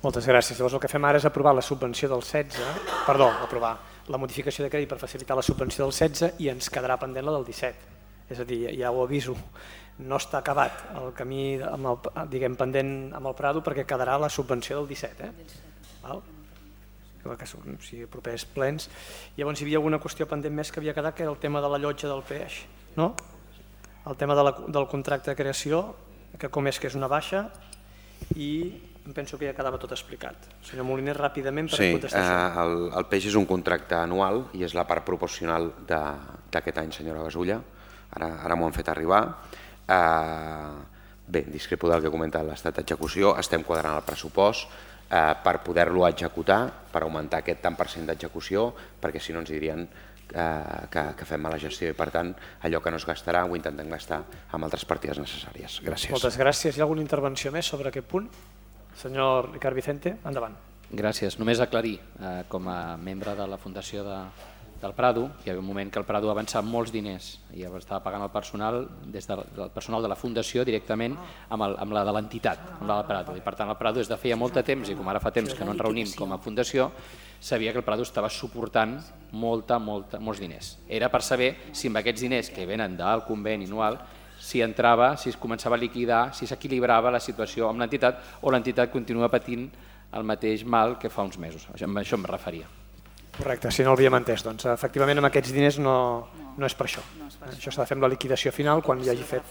Moltes gràcies. Llavors el que fem ara és aprovar la subvenció del 16, aprovar la modificació de crèdit per facilitar la subvenció del 16 i ens quedarà pendent la del 17. És a dir, ja ho aviso, no està acabat el camí pendent amb el Prado perquè quedarà la subvenció del 17. Que sigui propers plens. Llavors hi havia alguna qüestió pendent més que havia quedat, que era el tema de la llotja del peix, no? El tema del contracte de creació, que com és que és una baixa, i em penso que ja quedava tot explicat. Senyor Moliner, ràpidament per contestar
això. El peix és un contracte anual i és la part proporcional d'aquest any, senyora Gasulla. Ara m'ho han fet arribar. Bé, discrepo del que comenta l'estat d'execució. Estem quadrant el pressupost per poder-lo executar, per augmentar aquest tant per cent d'execució, perquè si no ens dirien que fem mala gestió i per tant allò que no es gastarà ho intentem gastar amb altres partides necessàries. Gràcies.
Moltes gràcies. Hi ha alguna intervenció més sobre aquest punt? Senyor Ricard Vicente, endavant.
Gràcies. Només aclarir, com a membre de la Fundació del Prado, hi havia un moment que el Prado avançava molts diners i estava pagant el personal, des del personal de la Fundació directament amb la de l'entitat, amb la del Prado. I per tant el Prado des de feia molt de temps, i com ara fa temps que no ens reunim com a Fundació, sabia que el Prado estava suportant molts diners. Era per saber si amb aquests diners que venen del conveni anual si entrava, si es començava a liquidar, si s'equilibrava la situació amb l'entitat o l'entitat continua patint el mateix mal que fa uns mesos. A això em referia.
Correcte, si no l'havíem entès. Doncs efectivament amb aquests diners no és per això. Això s'ha de fer amb la liquidació final quan hi hagi fet.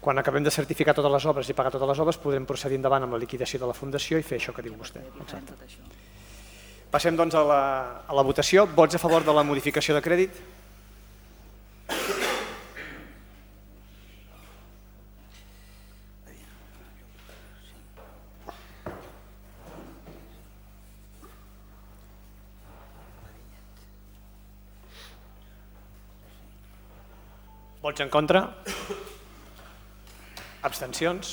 Quan acabem de certificar totes les obres i pagar totes les obres podrem procedir endavant amb la liquidació de la Fundació i fer això que diu vostè. Exacte. Passem doncs a la votació. Vots a favor de la modificació de crèdit? Vots en contra? Abstencions?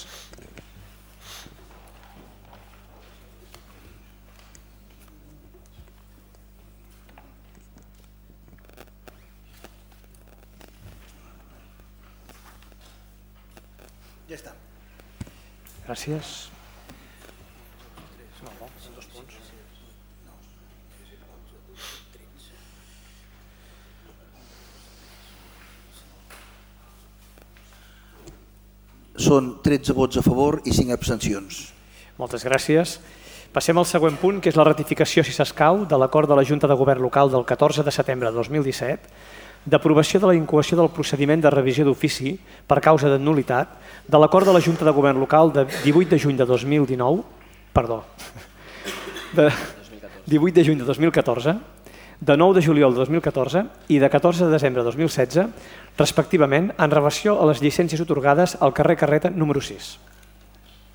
Ja està.
Gràcies.
Són 13 vots a favor i 5 abstencions.
Moltes gràcies. Passem al següent punt, que és la ratificació, si s'escau, de l'acord de la Junta de Govern Local del 14 de setembre de 2017 d'aprovació de la incoació del procediment de revisió d'ofici per causa de nul·litat de l'acord de la Junta de Govern Local de 18 de juny de 2019, perdó, de 18 de juny de 2014, de 9 de juliol de 2014 i de 14 de desembre de 2016, respectivament, en relació a les llicències atorgades al carrer Carreta número 6.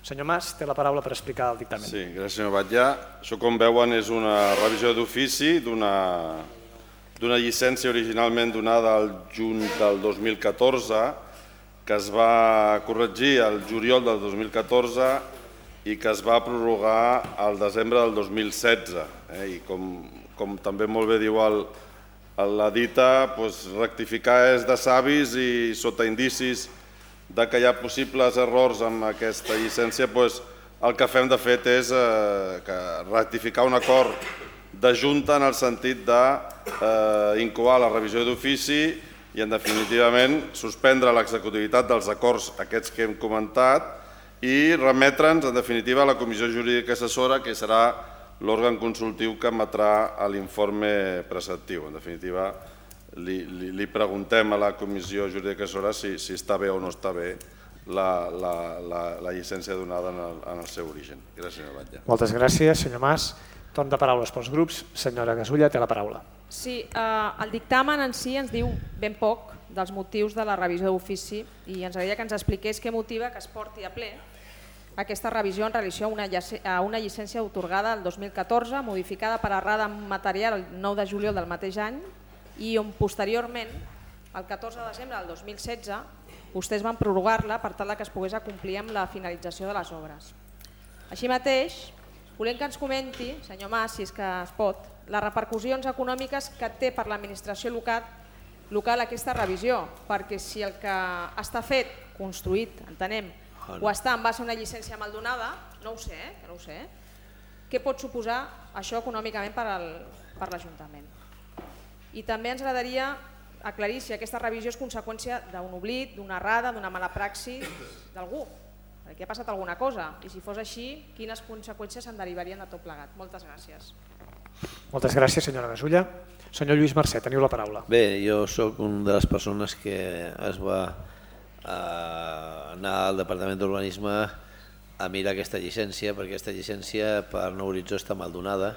Senyor Mas, té la paraula per explicar el dictamen.
Sí, gràcies senyor Batlle. Això, com veuen, és una revisió d'ofici d'una llicència originalment donada al juny del 2014 que es va corregir al juliol del 2014 i que es va prorrogar al desembre del 2016. I com també molt bé diu la dita, rectificar és de savis i sota indicis que hi ha possibles errors amb aquesta llicència, el que fem de fet és ratificar un acord de Junta en el sentit d'incoar la revisió d'ofici i en definitivament suspendre l'executivitat dels acords aquests que hem comentat i remetre'ns en definitiva a la Comissió Jurídica Assessora, que serà l'òrgan consultiu que emetrà l'informe preceptiu. En definitiva, li preguntem a la Comissió Jurídica Assessora si està bé o no està bé la llicència donada en el seu origen. Gràcies, senyor Batlle.
Moltes gràcies, senyor Mas. Torn de paraules pels grups. Senyora Gasulla, té la paraula.
Sí, el dictamen en si ens diu ben poc dels motius de la revisió d'ofici i ens agradaria que ens expliqués què motiva que es porti a ple aquesta revisió en relació a una llicència atorgada el 2014, modificada per errada material el 9 de juliol del mateix any i on posteriorment, el 14 de desembre del 2016, vostès van prorrogar-la per tal que es pogués acomplir amb la finalització de les obres. Així mateix, volem que ens comenti, senyor Mas, si és que es pot, les repercussions econòmiques que té per l'administració local aquesta revisió, perquè si el que està fet, construït, entenem, o està en base a una llicència maldonada, no ho sé, que no ho sé, què pot suposar això econòmicament per l'Ajuntament? I també ens agradaria aclarir si aquesta revisió és conseqüència d'un oblit, d'una errada, d'una mala praxi d'algú, perquè ha passat alguna cosa, i si fos així, quines conseqüències se'n derivarien de tot plegat. Moltes gràcies.
Moltes gràcies, senyora Gasulla. Senyor Lluís Mercè, teniu la paraula.
Bé, jo sóc una de les persones que es va anar al Departament d'Urbanisme a mirar aquesta llicència, perquè aquesta llicència per Nou Horitzó està mal donada,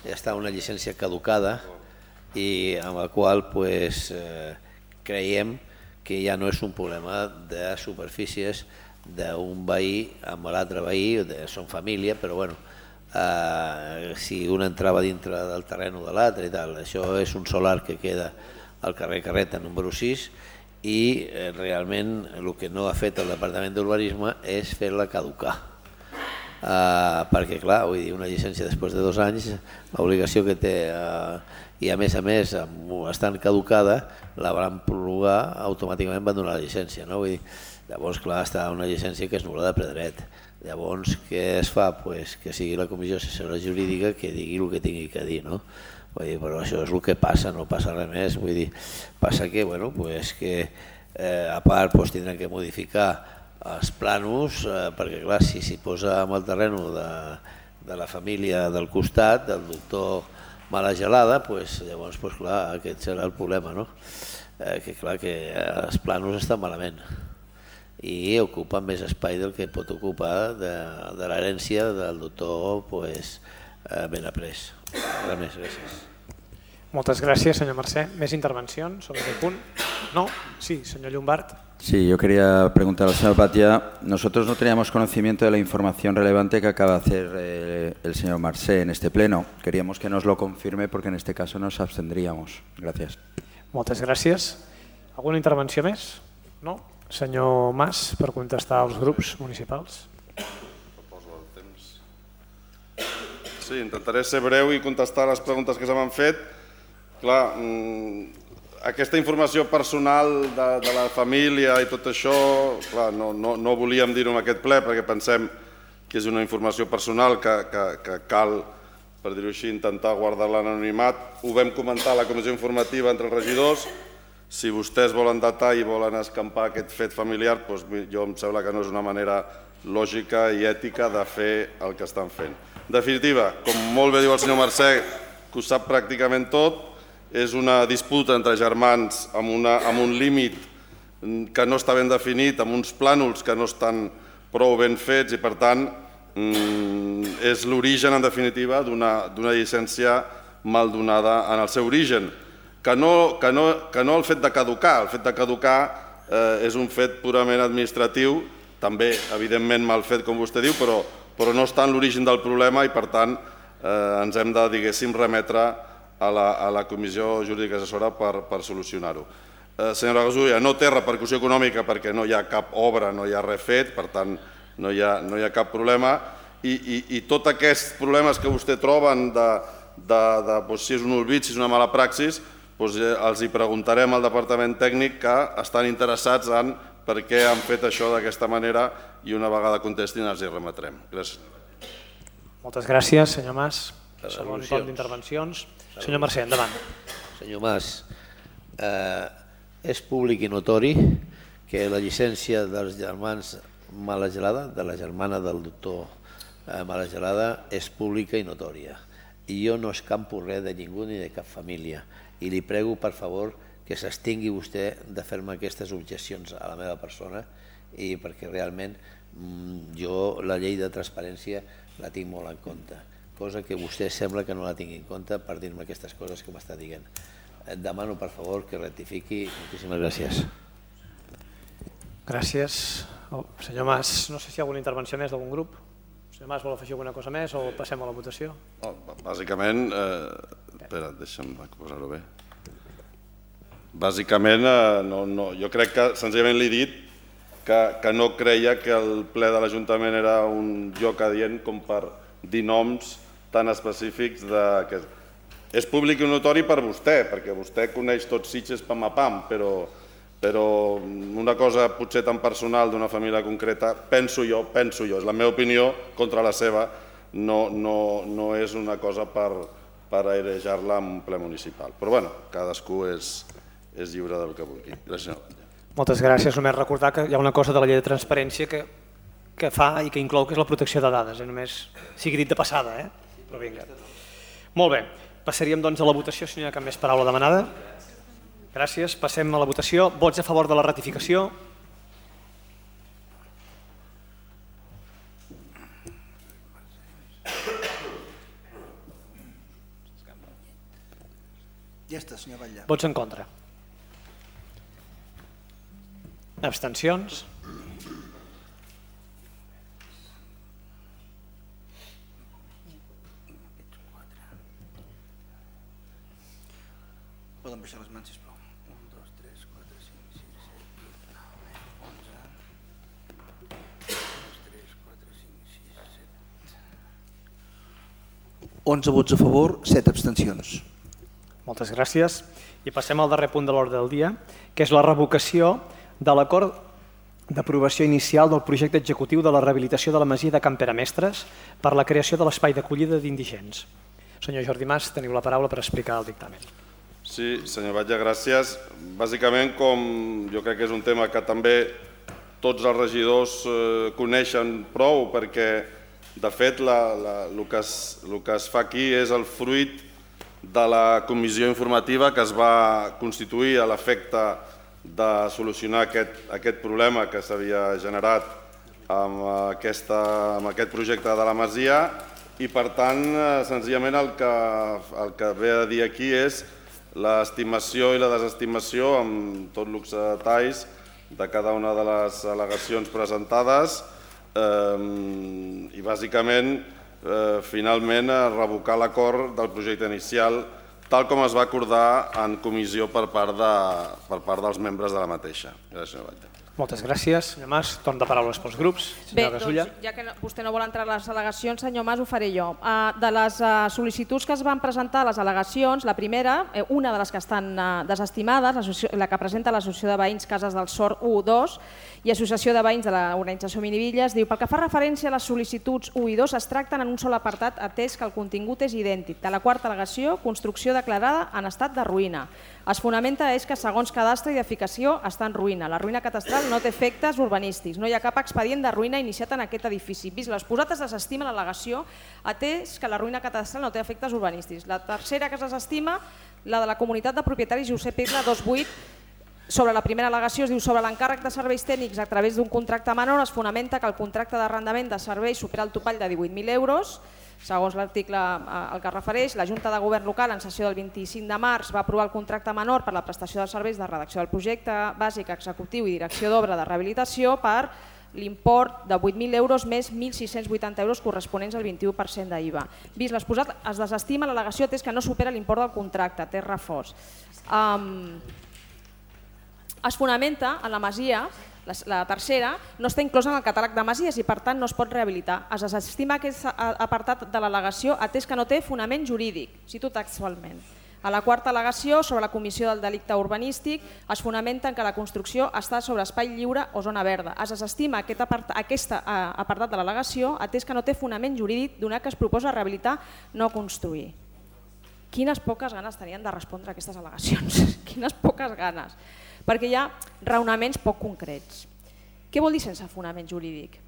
està una llicència caducada i amb la qual creiem que ja no és un problema de superfícies d'un veí amb l'altre veí, són família, però bueno, si un entrava dintre del terreny de l'altre i tal, això és un solar que queda al carrer Carreta número 6 i realment el que no ha fet el Departament d'Urbanisme és fer-la caducar, perquè clar, vull dir, una llicència després de 2 anys, l'obligació que té i a més estant caducada la van prorrogar, automàticament van donar la llicència, no? Vull dir, llavors clar, està una llicència que és nul·la de ple dret. Llavors què es fa? Pues que sigui la comissió assessora jurídica que digui el que tingui que dir, no? Vull dir, però això és el que passa, no passa res més. Vull dir, passa que, bueno, pues que a part tindran que modificar els plànols, perquè clar, si s'hi posa amb el terreny de la família del costat, del doctor Malagelada, llavors clar, aquest serà el problema, no? Que clar que els plànols estan malament i ocupen més espai del que pot ocupar de l'herència del doctor Benaprés. Res més, gràcies.
Moltes gràcies, senyor Mercè. ¿Més intervencions sobre aquest punt? No? Sí, señor Llombart.
Sí, yo quería preguntar al señor Batia. Nosotros no teníamos conocimiento de la información relevante que acaba de hacer el señor Mercè en este pleno. Queríamos que nos lo confirme porque en este caso nos abstendríamos. Gracias.
Moltes gràcies. Alguna intervenció més? No? Senyor Mas, per contestar als grups municipals.
Sí, intentaré ser breu i contestar les preguntes que se m'han fet. Clar, aquesta informació personal de la família i tot això, clar, no volíem dir-ho en aquest ple perquè pensem que és una informació personal que cal, per dir-ho així, intentar guardar l'anonimat. Ho vam comentar a la comissió informativa entre els regidors. Si vostès volen datar i volen escampar aquest fet familiar, doncs jo em sembla que no és una manera lògica i ètica de fer el que estan fent. En definitiva, com molt bé diu el senyor Mercè, que ho sap pràcticament tot, és una disputa entre germans amb un límit que no està ben definit, amb uns plànols que no estan prou ben fets i per tant és l'origen en definitiva d'una llicència mal donada en el seu origen. Que no el fet de caducar, el fet de caducar és un fet purament administratiu, també evidentment mal fet com vostè diu, però no està en l'origen del problema i per tant ens hem de, diguéssim, remetre a la comissió jurídica assessora per solucionar-ho. Senyora Gasulla, no té repercussió econòmica perquè no hi ha cap obra, no hi ha res fet, per tant no hi ha cap problema i tots aquests problemes que vostè troben si és un olvid, si és una mala praxis, els hi preguntarem al departament tècnic que estan interessats en per què han fet això d'aquesta manera i una vegada contestin els hi remetrem. Gràcies.
Moltes gràcies, senyor Mas. Segon torn d'intervencions. Senyor Mercè, endavant.
Senyor Mas, és públic i notori que la llicència dels germans Malagelada, de la germana del doctor Malagelada, és pública i notòria. I jo no escampo res de ningú ni de cap família. I li prego, per favor, que s'extingui vostè de fer-me aquestes objeccions a la meva persona i perquè realment jo la llei de transparència la tinc molt en compte, cosa que vostè sembla que no la tingui en compte per dir-me aquestes coses que m'està dient. Et demano, per favor, que rectifiqui. Moltíssimes gràcies.
Gràcies. Senyor Mas, no sé si hi ha alguna intervenció més d'algun grup. Senyor Mas, vol afegir alguna cosa més o passem a la votació?
Bàsicament, espera, deixa'm posar-ho bé. Bàsicament, jo crec que senzillament li he dit que no creia que el ple de l'Ajuntament era un lloc adient com per dir noms tan específics. És públic i notori per vostè, perquè vostè coneix tot Sitges pam a pam, però una cosa potser tan personal d'una família concreta, penso jo, és la meva opinió contra la seva, no és una cosa per airejar-la en un ple municipal. Però bueno, cadascú és lliure del que vulgui. Gràcies.
Moltes gràcies. Només recordar que hi ha una cosa de la llei de transparència que fa i que inclou, que és la protecció de dades. Només sigui dit de passada, però vinga. Molt bé, passaríem doncs a la votació, si no hi ha cap més paraula demanada. Gràcies, passem a la votació. Vots a favor de la ratificació?
Ja està, senyor Batlle.
Vots en contra. Abstencions.
Poden baixar les mans, sisplau. 1, 2, 3, 4, 5, 6, 7, 8, 9, 11. 2, 3, 4, 5, 6, 7... 11 vots a favor, 7 abstencions.
Moltes gràcies. I passem al darrer punt de l'ordre del dia, que és la revocació de l'acord d'aprovació inicial del projecte executiu de la rehabilitació de la masia de Can Peramestres per la creació de l'espai d'acollida d'indigents. Senyor Jordi Mas, teniu la paraula per explicar el dictamen.
Sí, senyor Batlle, gràcies. Bàsicament, com jo crec que és un tema que també tots els regidors coneixen prou, perquè, de fet, el que es fa aquí és el fruit de la comissió informativa que es va constituir a l'efecte de solucionar aquest problema que s'havia generat amb aquest projecte de la masia i, per tant, senzillament el que ve a dir aquí és l'estimació i la desestimació amb tot luxe de detalls de cada una de les al·legacions presentades i, bàsicament, finalment revocar l'acord del projecte inicial tal com es va acordar en comissió per part dels membres de la mateixa. Gràcies, senyor Batlle.
Moltes gràcies. Senyor Mas, torn de paraules pels grups.
Bé, doncs, ja que vostè no vol entrar a les al·legacions, senyor Mas, ho faré jo. De les sol·licituds que es van presentar a les al·legacions, la primera, una de les que estan desestimades, la que presenta l'Associació de Veïns Cases del Sort 1, 2 i Associació de Veïns de l'Organització Minivilles, diu: pel que fa referència a les sol·licituds 1 i 2 es tracten en un sol apartat atès que el contingut és idèntic. De la quarta al·legació, construcció declarada en estat de ruïna. Es fonamenta és que segons cadastre i edificació està en ruïna. La ruïna catastral no té efectes urbanístics. No hi ha cap expedient de ruïna iniciat en aquest edifici. Vist l'exposat, es desestima l'al·legació atès que la ruïna catastral no té efectes urbanístics. La tercera que es desestima, la de la comunitat de propietaris Josep Irla 28, sobre la primera al·legació es diu: sobre l'encàrrec de serveis tècnics a través d'un contracte menor es fonamenta que el contracte d'arrendament de serveis supera el topall de 18.000 euros. Segons l'article al que es refereix, la Junta de Govern local en sessió del 25 de març va aprovar el contracte menor per la prestació de serveis de redacció del projecte bàsic executiu i direcció d'obra de rehabilitació per l'import de 8.000 euros més 1.680 euros corresponents al 21% d'IVA. Vist l'exposat, es desestima l'al·legació atès que no supera l'import del contracte, té reforç. Es fonamenta en la masia, la tercera, no està inclosa en el catàleg de masies i per tant no es pot rehabilitar. Es desestima aquest apartat de l'al·legació atès que no té fonament jurídic, cito textualment. A la quarta al·legació, sobre la comissió del delicte urbanístic, es fonamenta en que la construcció està sobre espai lliure o zona verda. Es desestima aquest apartat de l'al·legació atès que no té fonament jurídic donat que es proposa rehabilitar, no construir. Quines poques ganes tenien de respondre a aquestes al·legacions, quines poques ganes. Perquè hi ha raonaments poc concrets. Què vol dir sense fonament jurídic?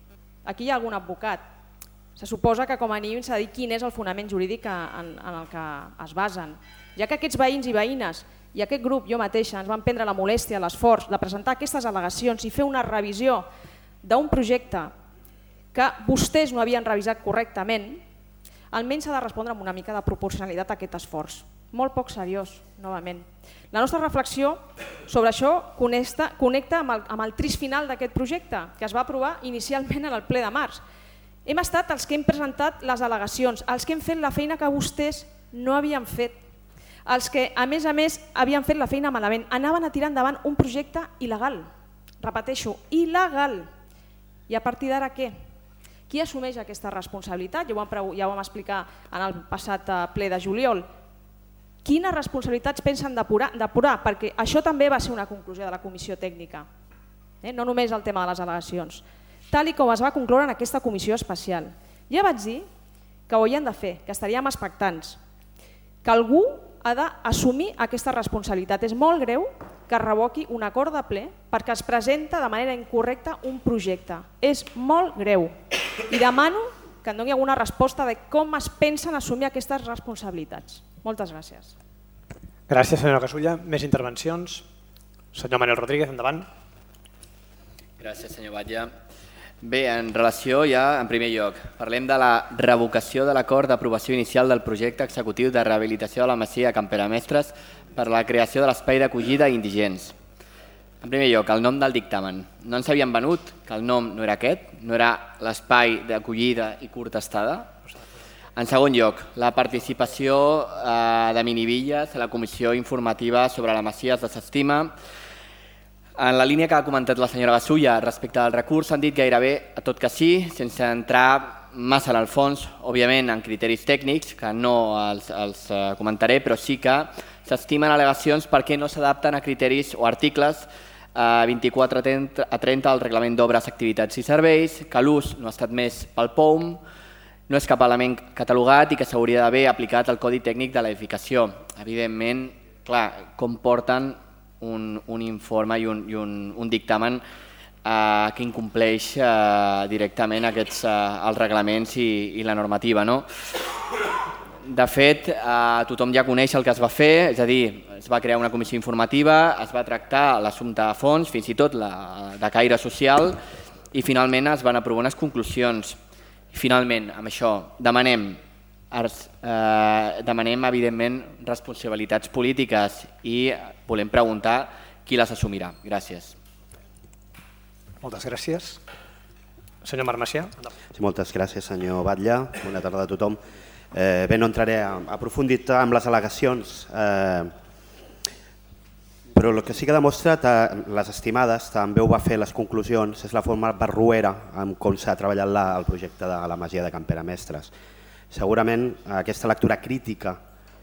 Aquí hi ha algun advocat. Se suposa que com a mínim s'ha de dir quin és el fonament jurídic en el que es basen. Ja que aquests veïns i veïnes i aquest grup, jo mateixa, ens van prendre la molèstia, l'esforç de presentar aquestes al·legacions i fer una revisió d'un projecte que vostès no havien revisat correctament, almenys s'ha de respondre amb una mica de proporcionalitat a aquest esforç. Molt poc seriós, novament. La nostra reflexió sobre això connecta amb el trist final d'aquest projecte, que es va aprovar inicialment en el ple de març. Hem estat els que hem presentat les al·legacions, els que hem fet la feina que vostès no havien fet, els que, a més, havien fet la feina malament. Anaven a tirar endavant un projecte il·legal, repeteixo, il·legal. I a partir d'ara què? Qui assumeix aquesta responsabilitat? Ja ho vam explicar en el passat ple de juliol. Quines responsabilitats pensen depurar? Perquè això també va ser una conclusió de la comissió tècnica, no només el tema de les al·legacions, tal com es va concloure en aquesta comissió especial. Ja vaig dir que ho havien de fer, que estaríem expectants, que algú ha d'assumir aquesta responsabilitat. És molt greu que es revoqui un acord de ple perquè es presenta de manera incorrecta un projecte. És molt greu i demano que em doni alguna resposta de com es pensen assumir aquestes responsabilitats. Moltes gràcies.
Gràcies, senyora Gasulla. Més intervencions? Senyor Manuel Rodríguez, endavant.
Gràcies, senyor Batlle. Bé, en relació ja, en primer lloc, parlem de la revocació de l'acord d'aprovació inicial del projecte executiu de rehabilitació de la masia de Camperamestres per a la creació de l'espai d'acollida indigents. En primer lloc, el nom del dictamen. No ens havien venut que el nom no era aquest, no era l'espai d'acollida i curta estada. En segon lloc, la participació de Minivilles a la comissió informativa sobre la masia es desestima. En la línia que ha comentat la senyora Gasulla respecte al recurs s'han dit gairebé a tot que sí, sense entrar massa en el fons, òbviament en criteris tècnics, que no els comentaré, però sí que s'estimen al·legacions perquè no s'adapten a criteris o articles 24 a 30 del Reglament d'Obres, Activitats i Serveis, que l'ús no ha estat més pel POUM, no és cap element catalogat i que s'hauria d'haver aplicat al Codi Tècnic de l'Edificació. Evidentment, clar, comporten un informe i un dictamen que incompleix directament els reglaments i la normativa. De fet, tothom ja coneix el que es va fer, és a dir, es va crear una comissió informativa, es va tractar l'assumpte a fons, fins i tot de caire social, i finalment es van aprovar unes conclusions. Finalment, amb això, demanem evidentment responsabilitats polítiques i volem preguntar qui les assumirà. Gràcies.
Moltes gràcies. Senyor Marc Macià.
Sí, moltes gràcies, senyor Batlle. Bona tarda a tothom. Bé, no entraré a profunditat amb les al·legacions, però el que sí que ha demostrat les estimades, també ho va fer les conclusions, és la forma barruera amb com s'ha treballat el projecte de la masia de Camperamestres. Segurament aquesta lectura crítica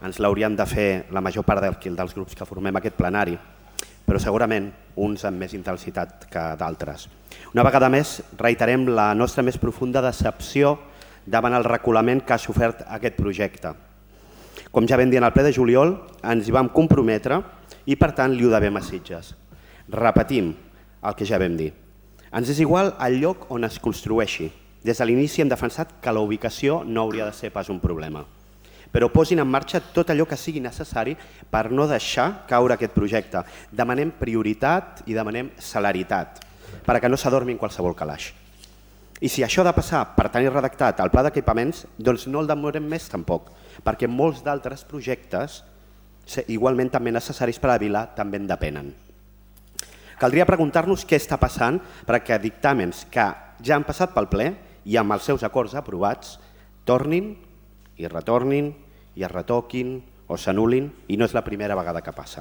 ens l'hauríem de fer la major part dels grups que formem aquest plenari, però segurament uns amb més intensitat que d'altres. Una vegada més, reiterem la nostra més profunda decepció davant el reculament que ha sofert aquest projecte. Com ja vam dir en el ple de juliol, ens hi vam comprometre i per tant li ho devem a Sitges. Repetim el que ja vam dir. Ens és igual el lloc on es construeixi. Des de l'inici hem defensat que la ubicació no hauria de ser pas un problema. Però posin en marxa tot allò que sigui necessari per no deixar caure aquest projecte. Demanem prioritat i demanem celeritat, perquè no s'adormi en qualsevol calaix. I si això ha de passar per tenir redactat el pla d'equipaments, doncs no el demorem més tampoc, perquè molts d'altres projectes, igualment també necessaris per a la vila, també en depenen. Caldria preguntar-nos què està passant perquè dictàmens que ja han passat pel ple i amb els seus acords aprovats tornin i retornin i es retoquin o s'anul·lin i no és la primera vegada que passa.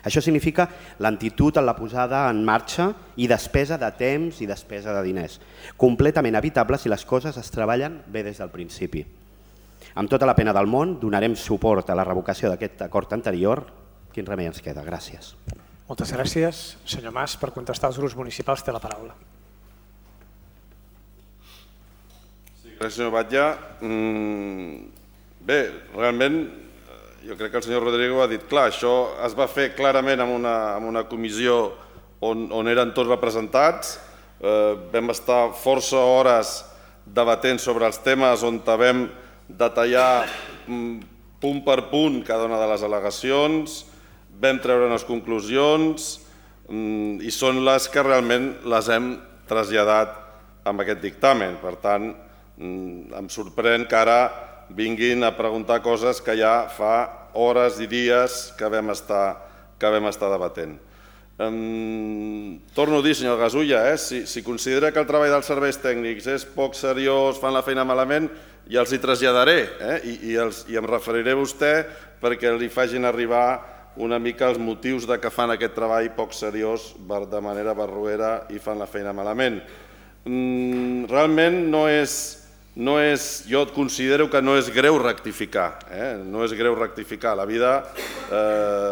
Això significa lentitud en la posada en marxa i despesa de temps i despesa de diners, completament evitable si les coses es treballen bé des del principi. Amb tota la pena del món donarem suport a la revocació d'aquest acord anterior. Quin remei ens queda? Gràcies.
Moltes gràcies. Senyor Mas, per contestar als grups municipals té la paraula.
Gràcies, senyor Batlle. Bé, realment, jo crec que el senyor Rodrigo ha dit clar, això es va fer clarament en una comissió on eren tots representats, vam estar força hores debatent sobre els temes on vam detallar punt per punt cada una de les al·legacions, vam treure unes conclusions i són les que realment les hem traslladat amb aquest dictamen. Per tant, em sorprèn que ara vinguin a preguntar coses que ja fa hores i dies que vam estar debatent. Torno a dir, senyor Gasulla, si considera que el treball dels serveis tècnics és poc seriós, fan la feina malament, ja els hi traslladaré i em referiré a vostè perquè li facin arribar una mica els motius de que fan aquest treball poc seriós de manera barroera i fan la feina malament. Realment jo considero que no és greu rectificar, no és greu rectificar. A la vida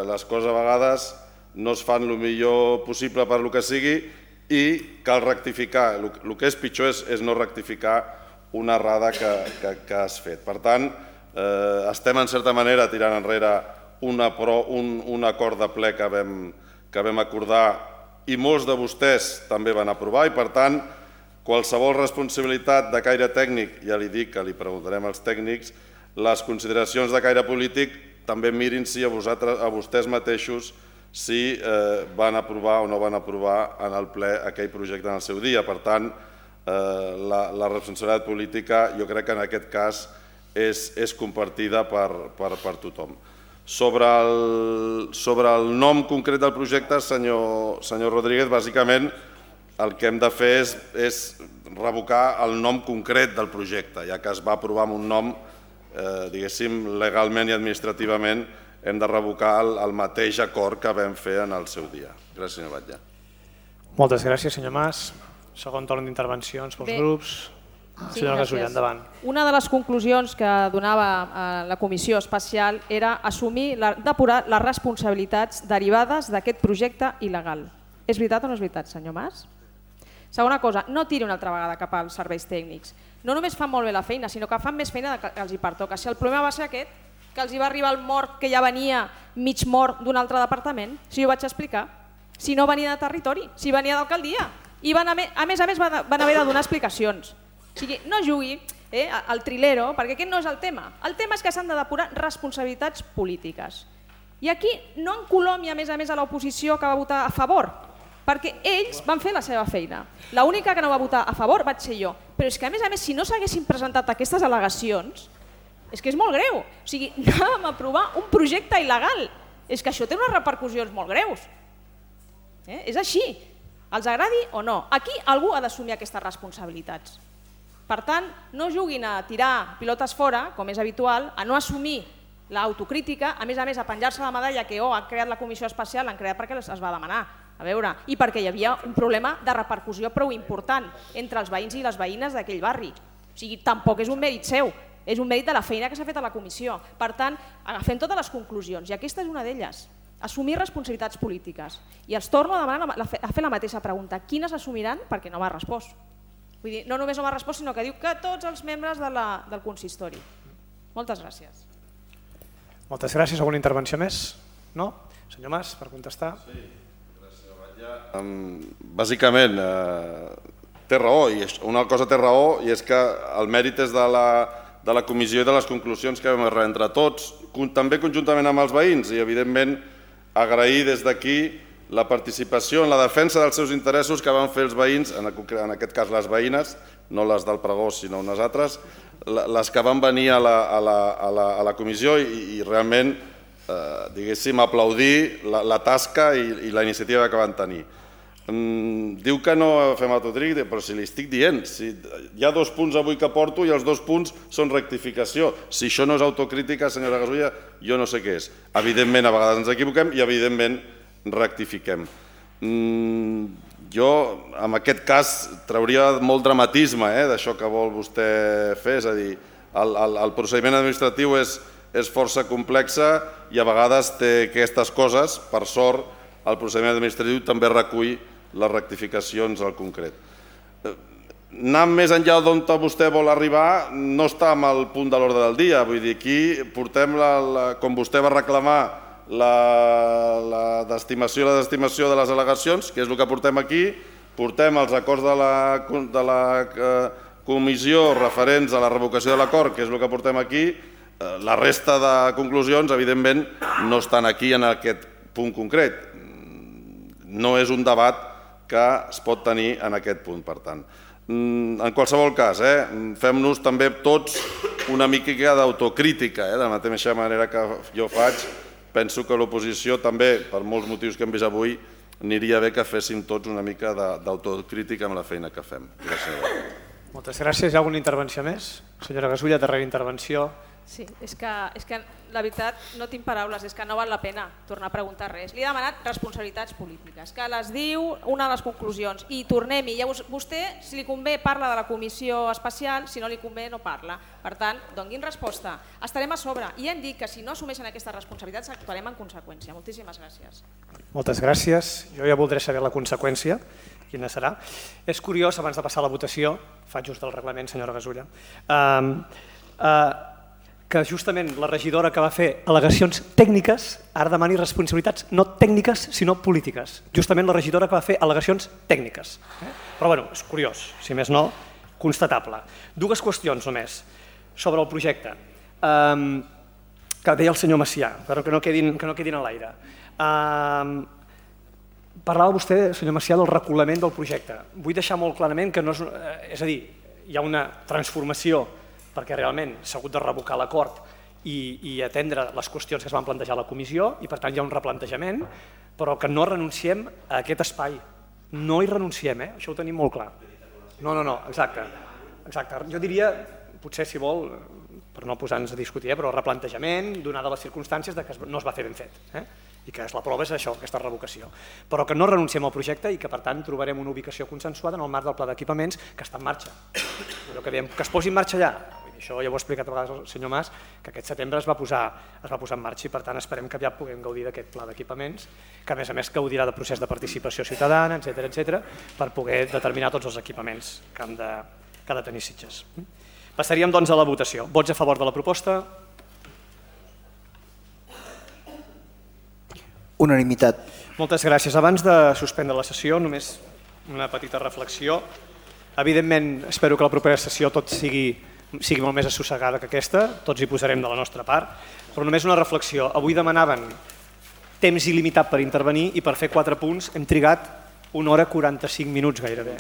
les coses a vegades no es fan el millor possible per el que sigui i cal rectificar. El que és pitjor és no rectificar una errada que has fet. Per tant, estem en certa manera tirant enrere un acord de ple que vam acordar i molts de vostès també van aprovar i per tant qualsevol responsabilitat de caire tècnic, ja li dic que li preguntarem als tècnics, les consideracions de caire polític també mirin-s'hi a vostès mateixos si van aprovar o no van aprovar en el ple aquell projecte en el seu dia. Per tant, la responsabilitat política jo crec que en aquest cas és compartida per tothom. Sobre el nom concret del projecte, senyor Rodríguez, bàsicament el que hem de fer és revocar el nom concret del projecte, ja que es va aprovar amb un nom, diguéssim, legalment i administrativament, hem de revocar el mateix acord que vam fer en el seu dia. Gràcies, senyor Batlle.
Moltes gràcies, senyor Mas. Segon torn d'intervencions pels grups. Senyora Gasulla, endavant.
Una de les conclusions que donava la comissió especial era assumir, depurar les responsabilitats derivades d'aquest projecte il·legal. És veritat o no és veritat, senyor Mas? Segona cosa, no tiri una altra vegada cap als serveis tècnics. No només fan molt bé la feina, sinó que fan més feina que els hi pertoca. Si el problema va ser aquest, que els hi va arribar el mort que ja venia mig mort d'un altre departament, si ho vaig explicar, si no venia de territori, si venia d'alcaldia. I a més van haver de donar explicacions. O sigui, no jugui al trilero, perquè aquest no és el tema. El tema és que s'han de depurar responsabilitats polítiques. I aquí no encolomi a més a l'oposició que va votar a favor, perquè ells van fer la seva feina. L'única que no va votar a favor vaig ser jo. Però és que a més, si no s'haguessin presentat aquestes al·legacions, és que és molt greu. O sigui, anàvem a aprovar un projecte il·legal. És que això té unes repercussions molt greus. És així. Els agradi o no. Aquí algú ha d'assumir aquestes responsabilitats. Per tant, no juguin a tirar pilotes fora, com és habitual, a no assumir l'autocrítica, a més a penjar-se la medalla que han creat la comissió especial, l'han creat perquè es va demanar, a veure, i perquè hi havia un problema de repercussió prou important entre els veïns i les veïnes d'aquell barri. O sigui, tampoc és un mèrit seu, és un mèrit de la feina que s'ha fet a la comissió. Per tant, agafem totes les conclusions, i aquesta és una d'elles, assumir responsabilitats polítiques. I els torno a demanar a fer la mateixa pregunta, quines assumiran? Perquè no m'ha respost. Vull dir, no només no m'ha respost, sinó que diu que tots els membres del consistori. Moltes gràcies.
Moltes gràcies. Alguna intervenció més? No? Senyor Mas, per contestar.
Sí, gràcies, senyor Batlle. Bàsicament, té raó, i una cosa té raó, i és que el mèrit és de la comissió i de les conclusions que vam arribar entre tots, també conjuntament amb els veïns, i evidentment agrair des d'aquí la participació en la defensa dels seus interessos que van fer els veïns, en aquest cas les veïnes, no les del pregó sinó unes altres, les que van venir a la comissió i realment, diguéssim, aplaudir la tasca i la iniciativa que van tenir. Diu que no fem autocrítica, però si li estic dient, hi ha 2 punts avui que porto i els 2 punts són rectificació. Si això no és autocrítica, senyora Gasulla, jo no sé què és. Evidentment, a vegades ens equivoquem i evidentment rectifiquem. Jo, en aquest cas, trauria molt dramatisme d'això que vol vostè fer, és a dir, el procediment administratiu és força complex i a vegades té aquestes coses. Per sort, el procediment administratiu també recull les rectificacions al concret. Anant més enllà d'on vostè vol arribar no està en el punt de l'ordre del dia. Vull dir, aquí portem, com vostè va reclamar, la desestimació i la desestimació de les al·legacions, que és el que portem aquí, portem els acords de la comissió referents a la revocació de l'acord, que és el que portem aquí, la resta de conclusions, evidentment, no estan aquí en aquest punt concret. No és un debat que es pot tenir en aquest punt, per tant. En qualsevol cas, fem-nos també tots una mica d'autocrítica, de la mateixa manera que jo faig. Penso que l'oposició també, per molts motius que hem vist avui, aniria bé que féssim tots una mica d'autocrítica amb la feina que fem. Gràcies.
Moltes gràcies. Hi ha alguna intervenció més? Senyora Gasulla, darrera intervenció.
Sí, és que la veritat no tinc paraules, és que no val la pena tornar a preguntar res. Li he demanat responsabilitats polítiques, que les diu una de les conclusions, i tornem-hi. Vostè, si li convé, parla de la comissió especial, si no li convé, no parla. Per tant, donguin resposta. Estarem a sobre i hem dit que si no assumeixen aquestes responsabilitats actuarem en conseqüència. Moltíssimes gràcies.
Moltes gràcies. Jo ja voldré saber la conseqüència, quina serà. És curiós, abans de passar a la votació, faig just el reglament, senyora Gasulla, que justament la regidora que va fer al·legacions tècniques ara demani responsabilitats no tècniques sinó polítiques. Justament la regidora que va fer al·legacions tècniques. Però bueno, és curiós, si més no, constatable. 2 qüestions només sobre el projecte que deia el senyor Macià, però que no quedin a l'aire. Parlava vostè, senyor Macià, del reculament del projecte. Vull deixar molt clarament que no és a dir, hi ha una transformació perquè realment s'ha hagut de revocar l'acord i atendre les qüestions que es van plantejar a la comissió i per tant hi ha un replantejament, però que no renunciem a aquest espai. No hi renunciem, això ho tenim molt clar. No, exacte. Jo diria, potser si vol, per no posar-nos a discutir, però replantejament, donada les circumstàncies que no es va fer ben fet. I que la prova és això, aquesta revocació. Però que no renunciem al projecte i que per tant trobarem una ubicació consensuada en el marc del pla d'equipaments que està en marxa. Allò que dèiem, que es posi en marxa ja. Això ja ho ha explicat a vegades el senyor Mas, que aquest setembre es va posar en marxa i per tant esperem que ja puguem gaudir d'aquest pla d'equipaments, que a més gaudirà de procés de participació ciutadana, etc., per poder determinar tots els equipaments que ha de tenir Sitges. Passaríem doncs a la votació. Vots a favor de la proposta?
Unanimitat.
Moltes gràcies. Abans de suspendre la sessió, només una petita reflexió. Evidentment, espero que la propera sessió tot sigui molt més assossegada que aquesta, tots hi posarem de la nostra part, però només una reflexió. Avui demanaven temps il·limitat per intervenir i per fer 4 punts hem trigat 1 hora 45 minuts gairebé,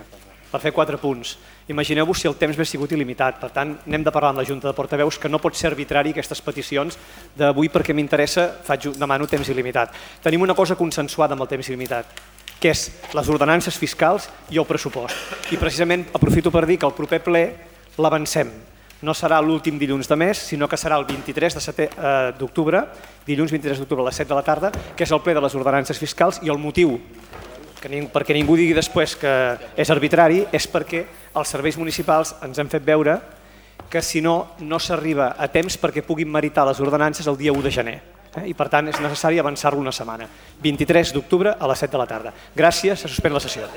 per fer 4 punts. Imagineu-vos si el temps hagués sigut il·limitat. Per tant, n'hem de parlar amb la Junta de Portaveus, que no pot ser arbitrari aquestes peticions d'avui perquè m'interessa, demano temps il·limitat. Tenim una cosa consensuada amb el temps il·limitat, que és les ordenances fiscals i el pressupost. I precisament aprofito per dir que el proper ple l'avancem. No serà l'últim dilluns de mes, sinó que serà el 23 d'octubre, dilluns 23 d'octubre a les 7 de la tarda, que és el ple de les ordenances fiscals, i el motiu, perquè ningú digui després que és arbitrari, és perquè els serveis municipals ens hem fet veure que si no, no s'arriba a temps perquè puguin meritar les ordenances el dia 1 de gener. I per tant és necessari avançar-lo una setmana. 23 d'octubre a les 7 de la tarda. Gràcies, se suspèn la sessió.